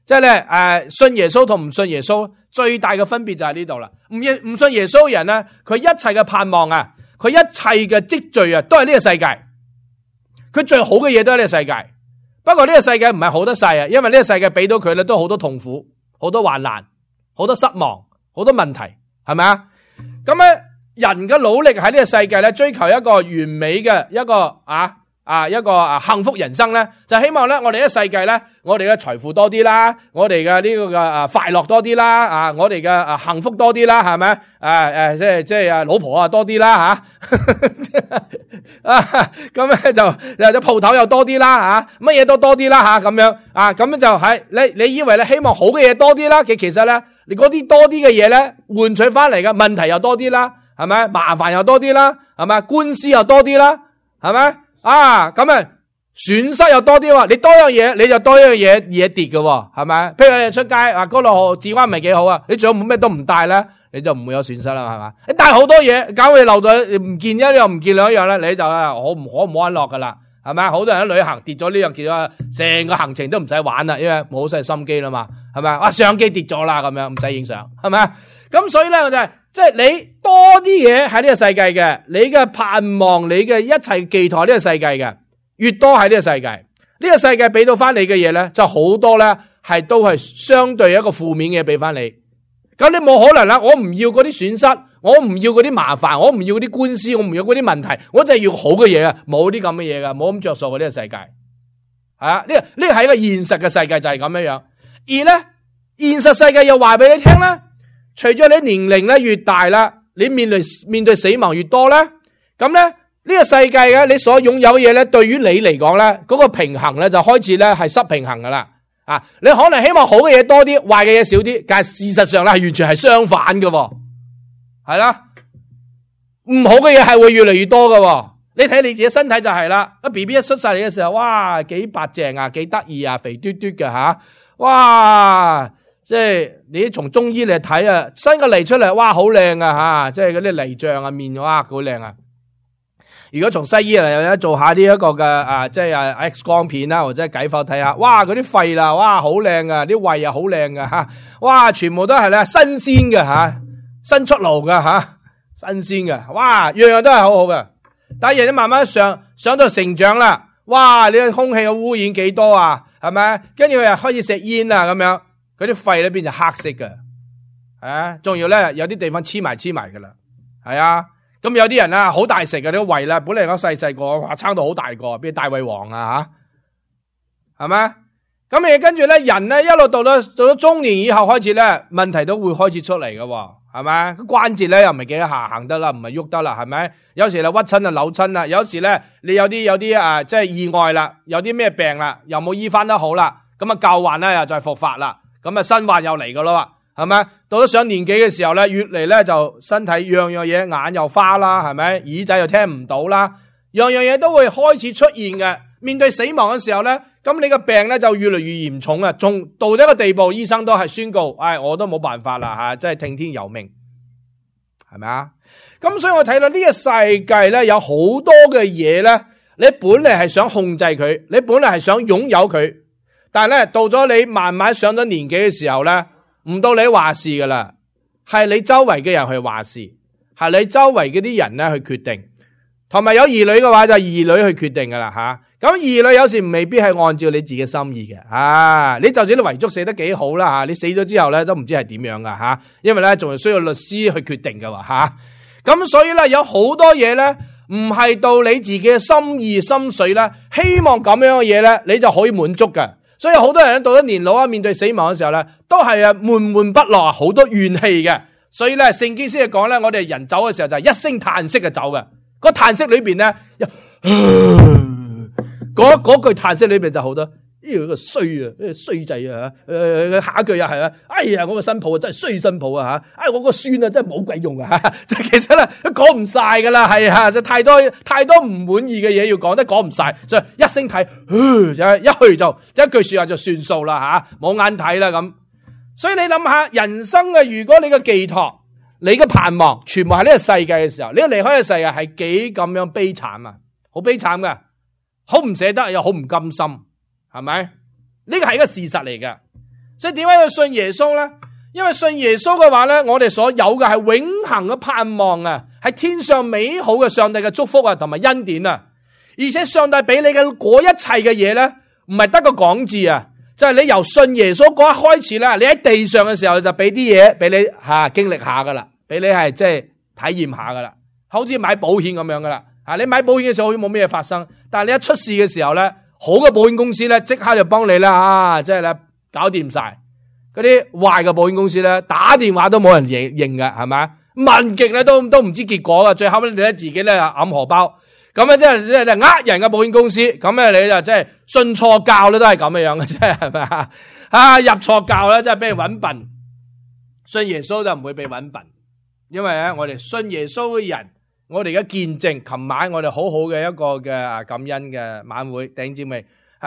B: 即係咧信耶穌同唔信耶穌最大嘅分別就喺呢度啦。唔信耶穌嘅人咧，佢一切嘅盼望啊，佢一切嘅積聚啊，都係呢個世界。佢最好嘅嘢都係呢個世界。不過呢個世界唔係好得晒啊，因為呢個世界俾到佢咧都好多痛苦、好多患難、好多失望、好多問題，係咪啊？咁咧人嘅努力喺呢個世界咧，追求一個完美嘅一個幸福人生咧，就希望咧我哋呢個世界咧，我哋嘅財富多啲啦，我哋嘅呢個嘅快樂多啲啦，我哋嘅幸福多啲啦，係咪？即係老婆啊多啲啦咁咧就鋪頭又多啲啦乜嘢都多啲啦咁樣咁樣就係你以為咧希望好嘅嘢多啲啦，其實咧你嗰啲多啲嘅嘢咧換取翻嚟嘅問題又多啲啦，係咪？麻煩又多啲啦，係咪？官司又多啲啦，係咪？咁啊損失又多啲喎，你多樣嘢你就多樣嘢跌嘅喎，係咪？譬如你出街嗰度治安唔係幾好啊，你最好冇咩都唔帶咧，你就唔會有損失啦，係嘛？你帶好多嘢，搞你漏咗唔見一樣唔見兩樣咧，你就好唔安樂噶啦，係咪？好多人喺旅行跌咗呢樣跌咗，成個行程都唔使玩啦，因為冇晒心機啦嘛，係咪？相機跌咗啦，咁樣唔使影相，係咪？咁所以咧我就係即係你多啲嘢喺呢個世界嘅，你嘅盼望，你嘅一切寄託呢個世界嘅，越多喺呢個世界，呢個世界俾到翻你嘅嘢咧，就好多咧都係相對一個負面嘅嘢俾翻你。咁你冇可能啦，我唔要嗰啲損失，我唔要嗰啲麻煩，我唔要嗰啲官司，我唔要嗰啲問題，我就係要好嘅嘢啊！冇啲咁嘅嘢噶，冇咁着數嘅呢個世界。呢個係一個現實嘅世界就係咁樣樣。而咧現實世界又話俾你聽啦。隨咗你年齡咧越大啦，你面對死亡越多咧，咁咧呢個世界嘅你所擁有嘅嘢咧，對於你嚟講咧，嗰個平衡咧就開始咧係失平衡噶啦。你可能希望好嘅嘢多啲，壞嘅嘢少啲，但係事實上咧係完全係相反嘅，係啦，唔好嘅嘢係會越嚟越多嘅。你睇你自己身體就係啦，BB 一出世嚟嘅時候，哇，幾白淨啊，幾得意啊，肥嘟嘟嘅哇！即係你從中醫嚟睇啊，生個脷出嚟，哇，好靚啊即係嗰啲脷象啊面，哇，好靚啊！如果從西醫嚟做下呢一個嘅即係X 光片啦，或者解剖睇下，哇，嗰啲肺啦，哇，好靚啊，啲胃啊好靚噶哇，全部都係咧新鮮嘅新出爐嘅新鮮嘅，哇，樣樣都係好好嘅。但係人慢慢上到成長啦，哇，你個空氣嘅污染幾多啊？係咪？跟住佢又開始食煙啊，咁樣。嗰啲肺咧變就黑色嘅，仲要咧有啲地方黐埋噶啦，係啊，咁有啲人啊好大食嘅啲胃啦，本嚟講細個，哇撐到好大個，變大胃王啊係咪？咁跟住咧人咧一路到咗中年以後開始咧問題都會開始出嚟嘅，係咪？關節咧又唔係幾行得啦，唔係喐得啦，係咪？有時咧屈親啊扭親啦，有時咧你有啲即係意外啦，有啲咩病啦，又冇醫翻得好啦，咁啊舊患咧又再復發啦。咁啊新患又嚟噶啦，係咪？到咗上年紀嘅時候咧，越嚟咧就身體樣樣嘢，眼又花啦，係咪？耳仔又聽唔到啦，樣樣嘢都會開始出現嘅。面對死亡嘅時候咧，咁你個病咧就越嚟越嚴重啊！仲到咗一個地步，醫生都係宣告，我都冇辦法啦真係聽天由命，係咪啊？咁所以我睇到呢個世界咧有好多嘅嘢咧，你本嚟係想控制佢，你本嚟係想擁有佢。但係咧，到咗你慢慢上咗年紀嘅時候咧，唔到你話事噶啦，係你周圍嘅人去話事，係你周圍嗰啲人咧去決定，同埋有兒女嘅話就係兒女去決定噶啦咁兒女有時未必係按照你自己心意嘅你就算你遺囑寫得幾好啦你死咗之後咧都唔知係點樣噶因為咧仲係需要律師去決定噶咁所以咧有好多嘢咧唔係到你自己嘅心意心水咧，希望咁樣嘅嘢咧你就可以滿足嘅。所以好多人到咗年老面對死亡嘅時候咧，都係悶悶不樂，好多怨氣嘅。所以咧，聖經先係講咧，我哋人走嘅時候就係一聲嘆息嘅走嘅。個嘆息裏邊咧，嗰句嘆息裏邊就好多，個衰衰仔下一句又係哎呀，我個新抱真係衰新抱我個孫真係冇鬼用即係其實咧都講唔晒噶啦，係就太多唔滿意嘅嘢要講，都講唔晒，所以一聲睇，一去就一句說話就算數啦冇眼睇啦咁。所以你諗下，人生嘅如果你嘅寄託，你嘅盼望全部喺呢個世界嘅時候，你一離開呢個世界係幾咁樣悲慘啊，好悲慘噶，好唔捨得又好唔甘心，係咪？呢個係一個事實嚟嘅。所以點解要信耶穌咧？因為信耶穌嘅話咧，我哋所有嘅係永恆嘅盼望啊，係天上美好嘅上帝嘅祝福啊，同埋恩典啊。而且上帝俾你嘅嗰一切嘅嘢咧，唔係得個講字啊，就係你由信耶穌嗰一開始啦，你喺地上嘅時候就俾啲嘢俾你經歷下噶啦，俾你係即係體驗下噶啦，好似買保險咁樣噶啦。你買保險嘅時候好似冇咩嘢發生，但係你一出事嘅時候咧，好嘅保險公司咧即刻就幫你啦，即係咧搞掂晒。嗰啲壞嘅保險公司咧，打電話都冇人認嘅，係咪？問極咧都唔知結果嘅，最後咧你咧自己咧揞荷包，咁咧即係呃人嘅保險公司，咁咧你就即係信錯教咧都係咁嘅樣嘅啫，係咪啊？入錯教咧真係俾人搵笨，信耶穌就唔會被搵笨，因為咧我哋信耶穌嘅人，我哋嘅見證，琴晚我哋好好嘅一個嘅感恩嘅晚會，弟兄姊妹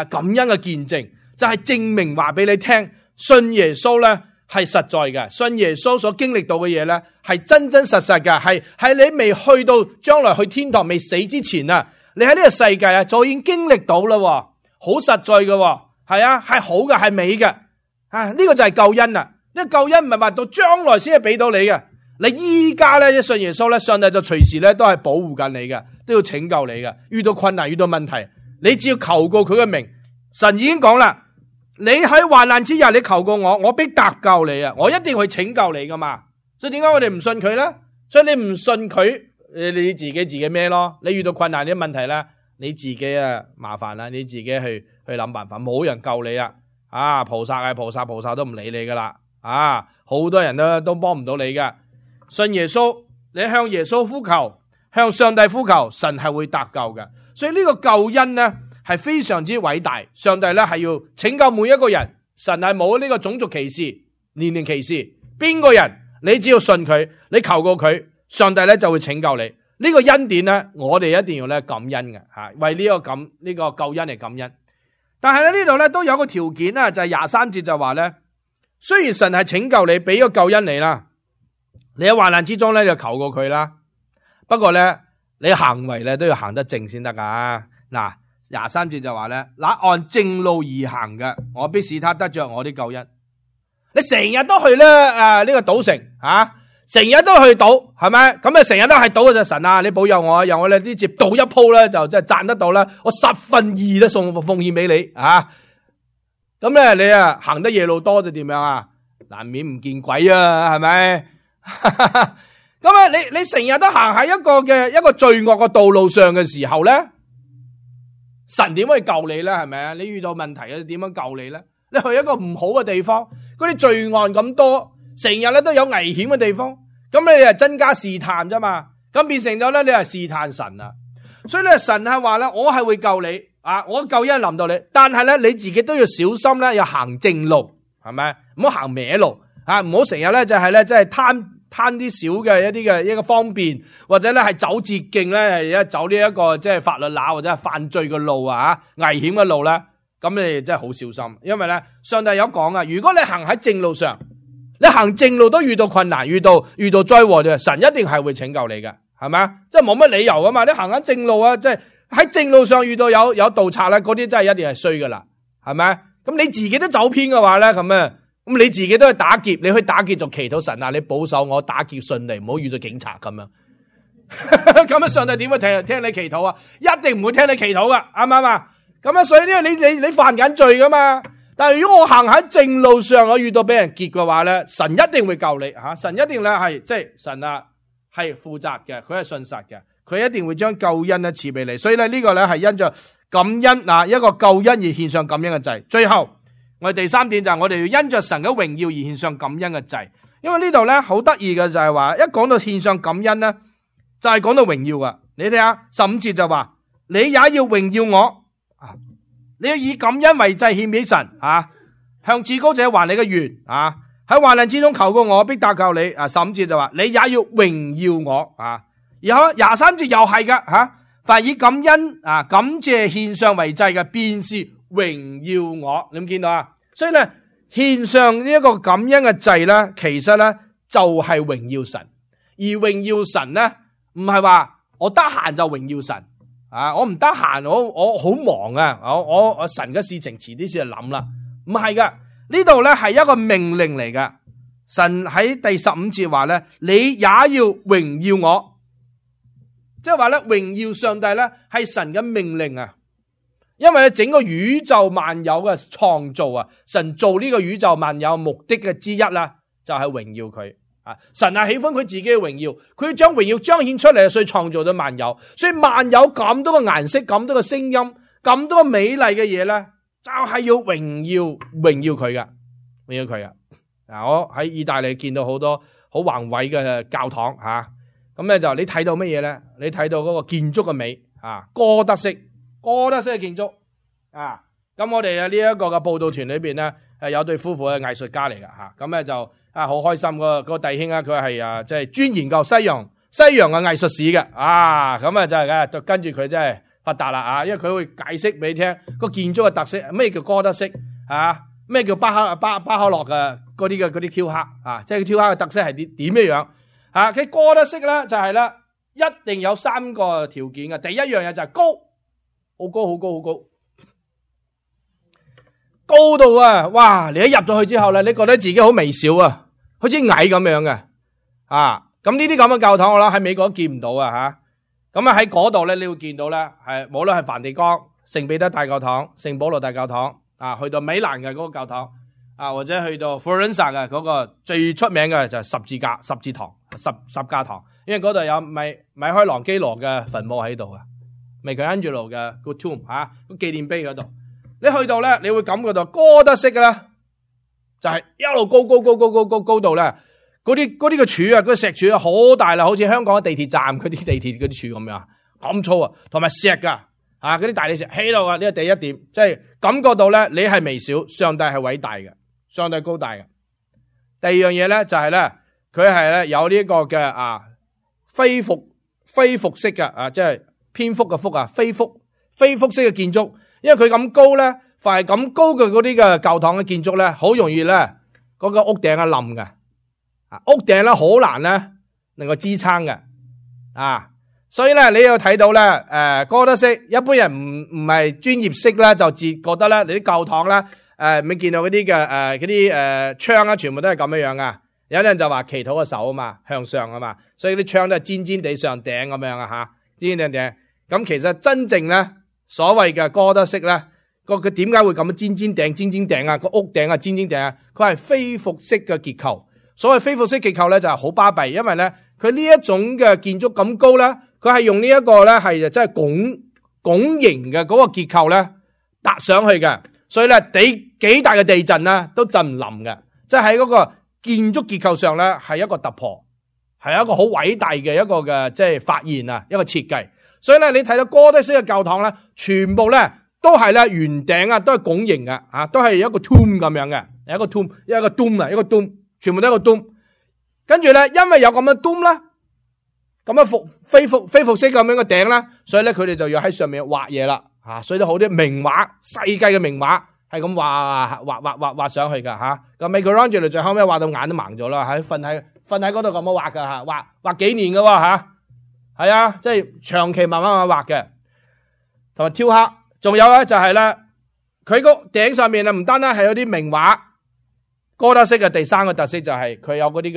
B: 感恩嘅見證，就係證明話俾你聽。信耶穌咧係實在嘅，信耶穌所經歷到嘅嘢咧係真真實實嘅，係你未去到將來去天堂未死之前啊，你喺呢個世界啊就已經經歷到啦，好實在嘅，係啊，係好嘅，係美嘅，呢個就係救恩啦。呢個救恩唔係話到將來先係俾到你嘅，你依家咧一信耶穌咧，上帝就隨時咧都係保護緊你嘅，都要拯救你嘅。遇到困難，遇到問題，你只要求告佢嘅名，神已經講啦。你喺患難之日，你求過我，我必搭救你啊！我一定會拯救你噶嘛。所以點解我哋唔信佢咧？所以你唔信佢，你自己孭咯。你遇到困難啲問題咧，你自己麻煩啦，你自己去諗辦法，冇人救你啊！菩薩係菩薩都唔理你噶啦啊！好多人都幫唔到你噶。信耶穌，你向耶穌呼求，向上帝呼求，神係會搭救嘅。所以呢個救恩咧，係非常之偉大，上帝咧係要拯救每一個人，神係冇呢個種族歧視、年齡歧視，邊個人你只要信佢，你求過佢，上帝咧就會拯救你。呢個恩典咧，我哋一定要咧感恩嘅吓，為呢個救恩嚟感恩。但係咧呢度咧都有個條件啦，就係23節就話咧，雖然神係拯救你，俾個救恩你啦，你喺患難之中咧就求過佢啦，不過咧你行為咧都要行得正先得噶嗱。23節就話咧，那按正路而行嘅，我必使他得着我啲救恩。你成日都去咧呢個賭城成日都去賭，係咪？咁啊成日都係賭嘅就神啊，你保佑我，由我哋呢接賭一鋪咧就即係賺得到啦，我2/10都奉獻俾你啊！咁咧你行得夜路多就點樣啊？難免唔見鬼啊，係咪？咁你成日都行喺一個罪惡嘅道路上嘅時候咧？神點可以救你咧？係咪啊？你遇到問題啊，點樣救你咧？你去一個唔好嘅地方，嗰啲罪案咁多，成日咧都有危險嘅地方，咁你係增加試探啫嘛？咁變成咗咧，你係試探神啊！所以咧，神係話咧，我係會救你啊！我救恩臨到你，但係咧你自己都要小心咧，要行正路，係咪？唔好行歪路啊！唔好成日咧就係咧即係貪啲小嘅一個方便，或者咧係走捷徑咧，係走呢一個即係法律罅或者係犯罪嘅路啊，危險嘅路咧，咁你真係好小心，因為咧上帝有講啊，如果你行喺正路上，你行正路都遇到困難，遇到災禍嘅，神一定係會拯救你嘅，係咪啊？即係冇乜理由噶嘛，你行緊正路啊，即係喺正路上遇到有盜賊咧，嗰啲真係一定係衰噶啦，係咪？咁你自己都走偏嘅話咧，咁你自己都去打劫，你去打劫就祈禱神啊！你保守我打劫順利，唔好遇到警察咁樣。咁樣上帝點會聽你祈禱啊？一定唔會聽你祈禱噶，啱唔啱啊？咁啊，所以呢，你犯緊罪噶嘛？但係如果我行喺正路上，我遇到俾人劫嘅話咧，神一定會救你吓，神一定咧係即係神啊，係負責嘅，佢係信實嘅，佢一定會將救恩咧賜俾你。所以咧呢個咧係因着感恩啊，一個救恩而獻上感恩嘅祭。最後。我哋第3點就係我哋要因着神嘅榮耀而獻上感恩嘅祭，因為呢度咧好得意嘅就係話，一講到獻上感恩咧，就係講到榮耀啊！你睇下15節就話，你也要榮耀我，你要以感恩為祭獻俾神啊，向至高者還你嘅願啊，喺患難之中求過我，必搭救你啊！15節就話，你也要榮耀我啊，然後23節又係噶吓，凡以感恩啊感謝獻上為祭嘅，便是榮耀我，你有冇見到啊？所以咧，獻上呢一個感恩嘅祭咧，其實咧就係榮耀神，而榮耀神咧，唔係話我得閒就榮耀神啊，我唔得閒，我好忙啊，我神嘅事情遲啲先去諗啦，唔係噶，呢度咧係一個命令嚟噶。神喺第15節話咧，你也要榮耀我，即係話咧榮耀上帝咧係神嘅命令啊。因為整個宇宙萬有嘅創造啊，神做呢個宇宙萬有目的嘅之一啦，就係榮耀佢啊。神係喜歡佢自己嘅榮耀，佢要將榮耀彰顯出嚟，所以創造咗萬有。所以萬有咁多個顏色、咁多個聲音、咁多個美麗嘅嘢咧，就係要榮耀佢嘅，榮耀佢嘅。嗱，我喺意大利見到好多好宏偉嘅教堂吓，咁咧就你睇到乜嘢咧？你睇到嗰個建築嘅美啊，哥德式嘅建築啊。咁我哋呢一個嘅報道團裏邊咧，有對夫婦嘅藝術家嚟噶吓，咁咧就好開心個弟兄啊，佢係即係專研究西洋嘅藝術史嘅啊，咁啊就係就跟住佢真係發達啦啊，因為佢會解釋俾你聽個建築嘅特色，咩叫哥德式啊，咩叫巴克洛嘅嗰啲雕刻啊，即係雕刻嘅特色係點樣啊？佢哥德式咧就係咧一定有3個條件嘅，第一樣嘢就係高，好高。高度啊！哇！你一入咗去之後咧，你覺得自己好微小啊，好似矮咁樣嘅啊！咁呢啲咁嘅教堂我諗喺美國都見唔到啊吓。咁啊喺嗰度咧，你會見到咧係無論係梵蒂岡、聖彼得大教堂、聖保羅大教堂啊，去到米蘭嘅嗰個教堂啊，或者去到 Florence 嘅嗰個最出名嘅就係十架堂，因為嗰度有米開朗基羅嘅墳墓喺度啊，Michelangelo嘅個 tomb 吓，個紀念碑嗰度。你去到咧，你會感覺到哥德式嘅咧，就係一路高度咧，嗰啲嘅柱啊，嗰啲石柱啊，好大啦，好似香港嘅地鐵站嗰啲地鐵嗰啲柱咁樣，咁粗啊，同埋石噶，嗰啲大理石起到啊，呢個第一點，即係感覺到咧，你係微小，上帝係偉大嘅，上帝高大嘅。第二樣嘢咧就係咧，佢係咧有呢個嘅飛phục式嘅即係蝙蝠嘅蝠啊，飛蝠式嘅建築。因為佢咁高咧，凡係咁高嘅嗰啲嘅教堂嘅建築咧，好容易咧嗰個屋頂啊冧嘅，屋頂咧好難咧能夠支撐嘅，所以咧你要睇到咧，哥德式一般人唔係專業式咧，就自覺得咧你啲教堂咧，你見到嗰啲嘅嗰啲窗啊，全部都係咁樣樣噶，有啲人就話祈禱嘅手啊嘛，向上啊嘛，所以啲窗都係尖尖地上頂咁樣啊吓，尖尖地頂，咁其實真正咧。所謂嘅哥德式咧，佢點解會咁樣尖尖頂啊？個屋頂啊尖尖頂啊，佢係飛phục式嘅結構。所謂飛phục式結構咧就係好巴閉，因為咧佢呢一種嘅建築咁高咧，佢係用呢一個咧係真係拱形嘅嗰個結構咧搭上去嘅，所以咧幾大嘅地震咧都震唔冧嘅，即係喺嗰個建築結構上咧係一個突破，係一個好偉大嘅一個嘅即係發現啊，一個設計。所以咧，你睇到哥德式嘅教堂咧，全部咧都係咧圓頂啊，都係拱形嘅，都係一個 tomb 咁樣嘅，一個 dome，全部都係一個 dome。跟住咧，因為有咁嘅 dome 啦，咁樣飛phục式咁樣嘅頂啦，所以咧佢哋就要喺上面畫嘢啦，所以都好啲名畫，世界嘅名畫係咁畫上去噶吓。咁 Michelangelo 最後尾畫到眼都盲咗啦，瞓喺嗰度咁樣畫噶吓，畫幾年噶吓。係啊，即係長期慢慢畫嘅，同埋雕刻，仲有咧就係咧，佢個頂上面啊，唔單單係有啲名畫，哥德式嘅第3個特色就係佢有嗰啲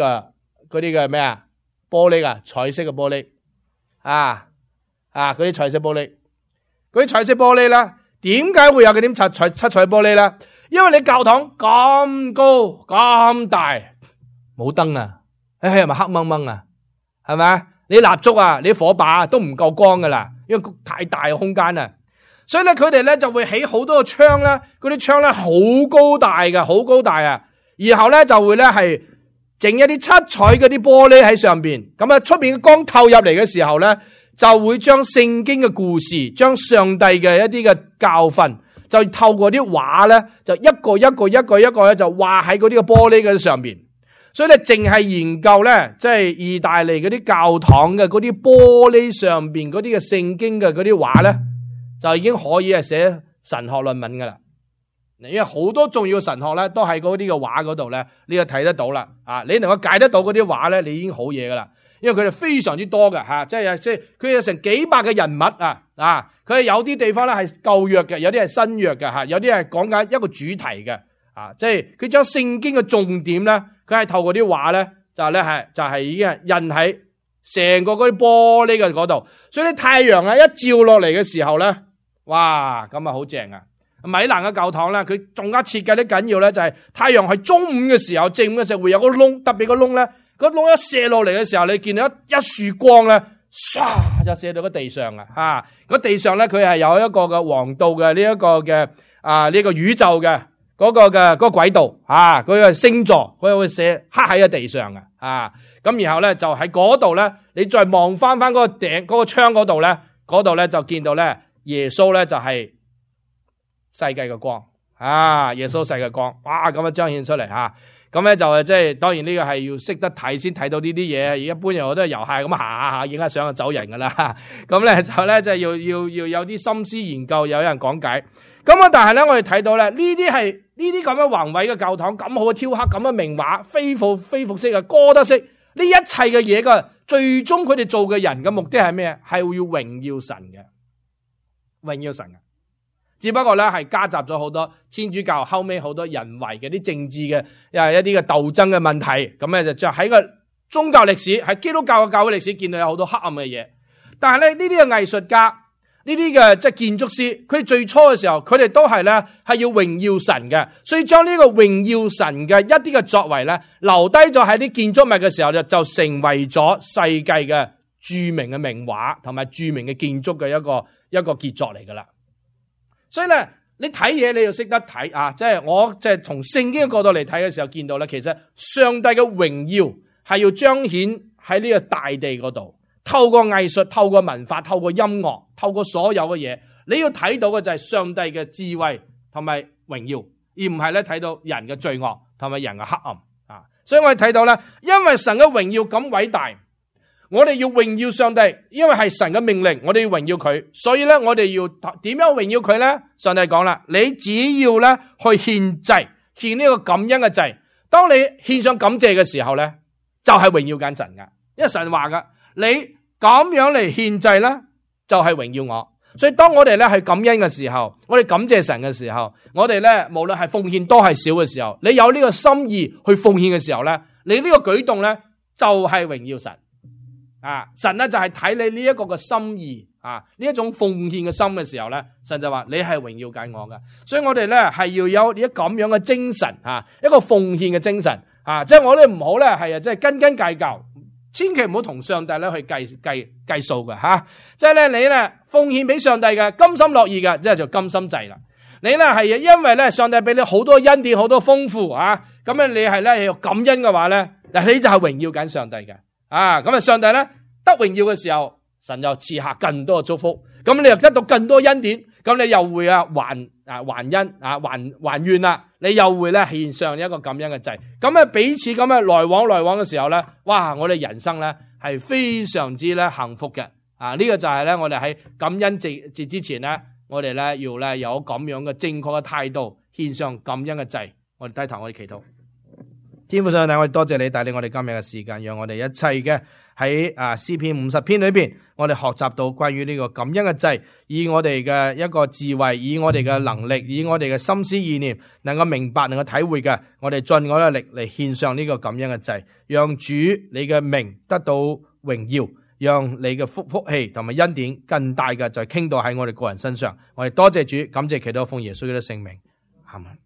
B: 嘅咩啊，玻璃啊，彩色嘅玻璃，嗰啲彩色玻璃，嗰啲彩色玻璃咧，點解會有嗰啲七彩玻璃咧？因為你教堂咁高咁大，冇燈啊，係咪黑掹掹啊？係咪？你蠟燭啊，你火把都唔夠光噶啦，因為太大嘅空間啊，所以咧佢哋咧就會起好多個窗啦，嗰啲窗咧好高大嘅，好高大啊，然後咧就會咧係整一啲七彩嗰啲玻璃喺上邊，咁啊出邊嘅光透入嚟嘅時候咧，就會將聖經嘅故事，將上帝嘅一啲嘅教訓，就透過啲畫咧，就一個咧就畫喺嗰啲嘅玻璃嘅上邊。所以咧，淨係研究咧，即係意大利嗰啲教堂嘅嗰啲玻璃上邊嗰啲嘅聖經嘅嗰啲畫咧，就已經可以係寫神學論文噶啦。因為好多重要嘅神學咧，都喺嗰啲嘅畫嗰度咧，你就睇得到啦。你能夠解得到嗰啲畫咧，你已經好嘢噶啦。因為佢哋非常之多嘅吓，即係佢有成幾百嘅人物啊，佢有啲地方咧係舊約嘅，有啲係新約嘅吓，有啲係講緊一個主題嘅啊，即係佢將聖經嘅重點咧，佢係透過啲畫咧，就係已經係印喺成個嗰啲玻璃嘅嗰度，所以啲太陽啊一照落嚟嘅時候咧，哇咁啊好正啊！米蘭嘅教堂咧，佢仲加設計得緊要咧，就係太陽係中午嘅時候，正午嘅時候會有個窿，特別個窿咧，個窿一射落嚟嘅時候，你見到一束光咧，唰就射到個地上啊！個地上咧，佢係有一個嘅黃道嘅呢一個嘅呢個宇宙嘅嗰個軌道啊，佢嘅星座，佢會射刻喺個地上啊！咁然後咧就喺嗰度咧，你再望翻嗰個頂嗰個窗嗰度咧，就見到咧耶穌咧就係世界嘅光啊！耶穌世界嘅光，哇咁樣彰顯出嚟吓，咁咧就即係當然呢個係要識得睇先睇到呢啲嘢，而一般人我都係遊客咁行下影下相就走人噶啦。咁咧就咧即係要有啲心思研究，有人講解。咁啊，但係咧我哋睇到咧呢啲咁樣宏偉嘅教堂，咁好嘅雕刻，咁嘅名畫，非服式嘅哥德式，呢一切嘅嘢嘅最終佢哋做嘅人嘅目的係咩？係要榮耀神嘅，榮耀神嘅。只不過咧係加雜咗好多天主教後尾好多人為嘅啲政治嘅一啲嘅鬥爭嘅問題，咁咧就喺個宗教歷史，喺基督教嘅教會歷史見到有好多黑暗嘅嘢。但係咧呢啲嘅藝術家，呢啲嘅即係建築師，佢哋最初嘅時候，佢哋都係咧係要榮耀神嘅，所以將呢個榮耀神嘅一啲嘅作為咧留低咗喺啲建築物嘅時候，就成為咗世界嘅著名嘅名畫同埋著名嘅建築嘅一個傑作嚟噶啦。所以咧，你睇嘢你要識得睇啊！即係我即係從聖經嘅角度嚟睇嘅時候，見到咧，其實上帝嘅榮耀係要彰顯喺呢個大地嗰度，透過藝術、透過文化、透過音樂、透過所有嘅嘢，你要睇到嘅就係上帝嘅智慧同埋榮耀，而唔係咧睇到人嘅罪惡同埋人嘅黑暗啊！所以我哋睇到咧，因為神嘅榮耀咁偉大。我哋要榮耀上帝，因為係神嘅命令，我哋要榮耀佢，所以咧我哋要點樣榮耀佢咧？上帝講啦，你只要咧去獻祭，獻呢個感恩嘅祭。當你獻上感謝嘅時候咧，就係榮耀緊神噶，因為神話噶，你咁樣嚟獻祭咧，就係榮耀我。所以當我哋咧係感恩嘅時候，我哋感謝神嘅時候，我哋咧無論係奉獻多係少嘅時候，你有呢個心意去奉獻嘅時候咧，你呢個舉動咧就係榮耀神。神咧就係睇你呢一個嘅心意呢一種奉獻嘅心嘅時候咧，神就話你係榮耀緊我噶，所以我哋咧係要有一咁樣嘅精神一個奉獻嘅精神即係我哋唔好咧係即係斤計較，千祈唔好同上帝咧去計數嘅即係咧你咧奉獻俾上帝嘅甘心樂意嘅，即係就甘心祭啦。你咧係因為咧上帝俾你好多恩典，好多豐富咁樣你係咧要感恩嘅話咧，嗱你就係榮耀緊上帝嘅。咁啊，上帝咧得榮耀嘅時候，神就賜下更多嘅祝福，咁你又得到更多恩典，咁你又會還恩還願啦，你又會咧獻上一個感恩嘅祭，咁啊彼此咁啊來往嘅時候咧，哇！我哋人生咧係非常之咧幸福嘅，呢個就係咧我哋喺感恩節之前咧，我哋咧要咧有咁樣嘅正確嘅態度，獻上感恩嘅祭。我哋低頭，我哋祈禱。天父上帝，我哋多謝你帶領我哋今日嘅時間，讓我哋一切嘅喺詩篇50篇裏邊，我哋學習到關於呢個感恩嘅祭，以我哋嘅一個智慧，以我哋嘅能力，以我哋嘅心思意念，能夠明白，能夠體會嘅，我哋盡我哋嘅力嚟獻上呢個感恩嘅祭，讓主你嘅名得到榮耀，讓你嘅福氣同埋恩典更大嘅就傾倒喺我哋個人身上。我哋多謝主，感謝祈禱奉耶穌基督聖名，阿們。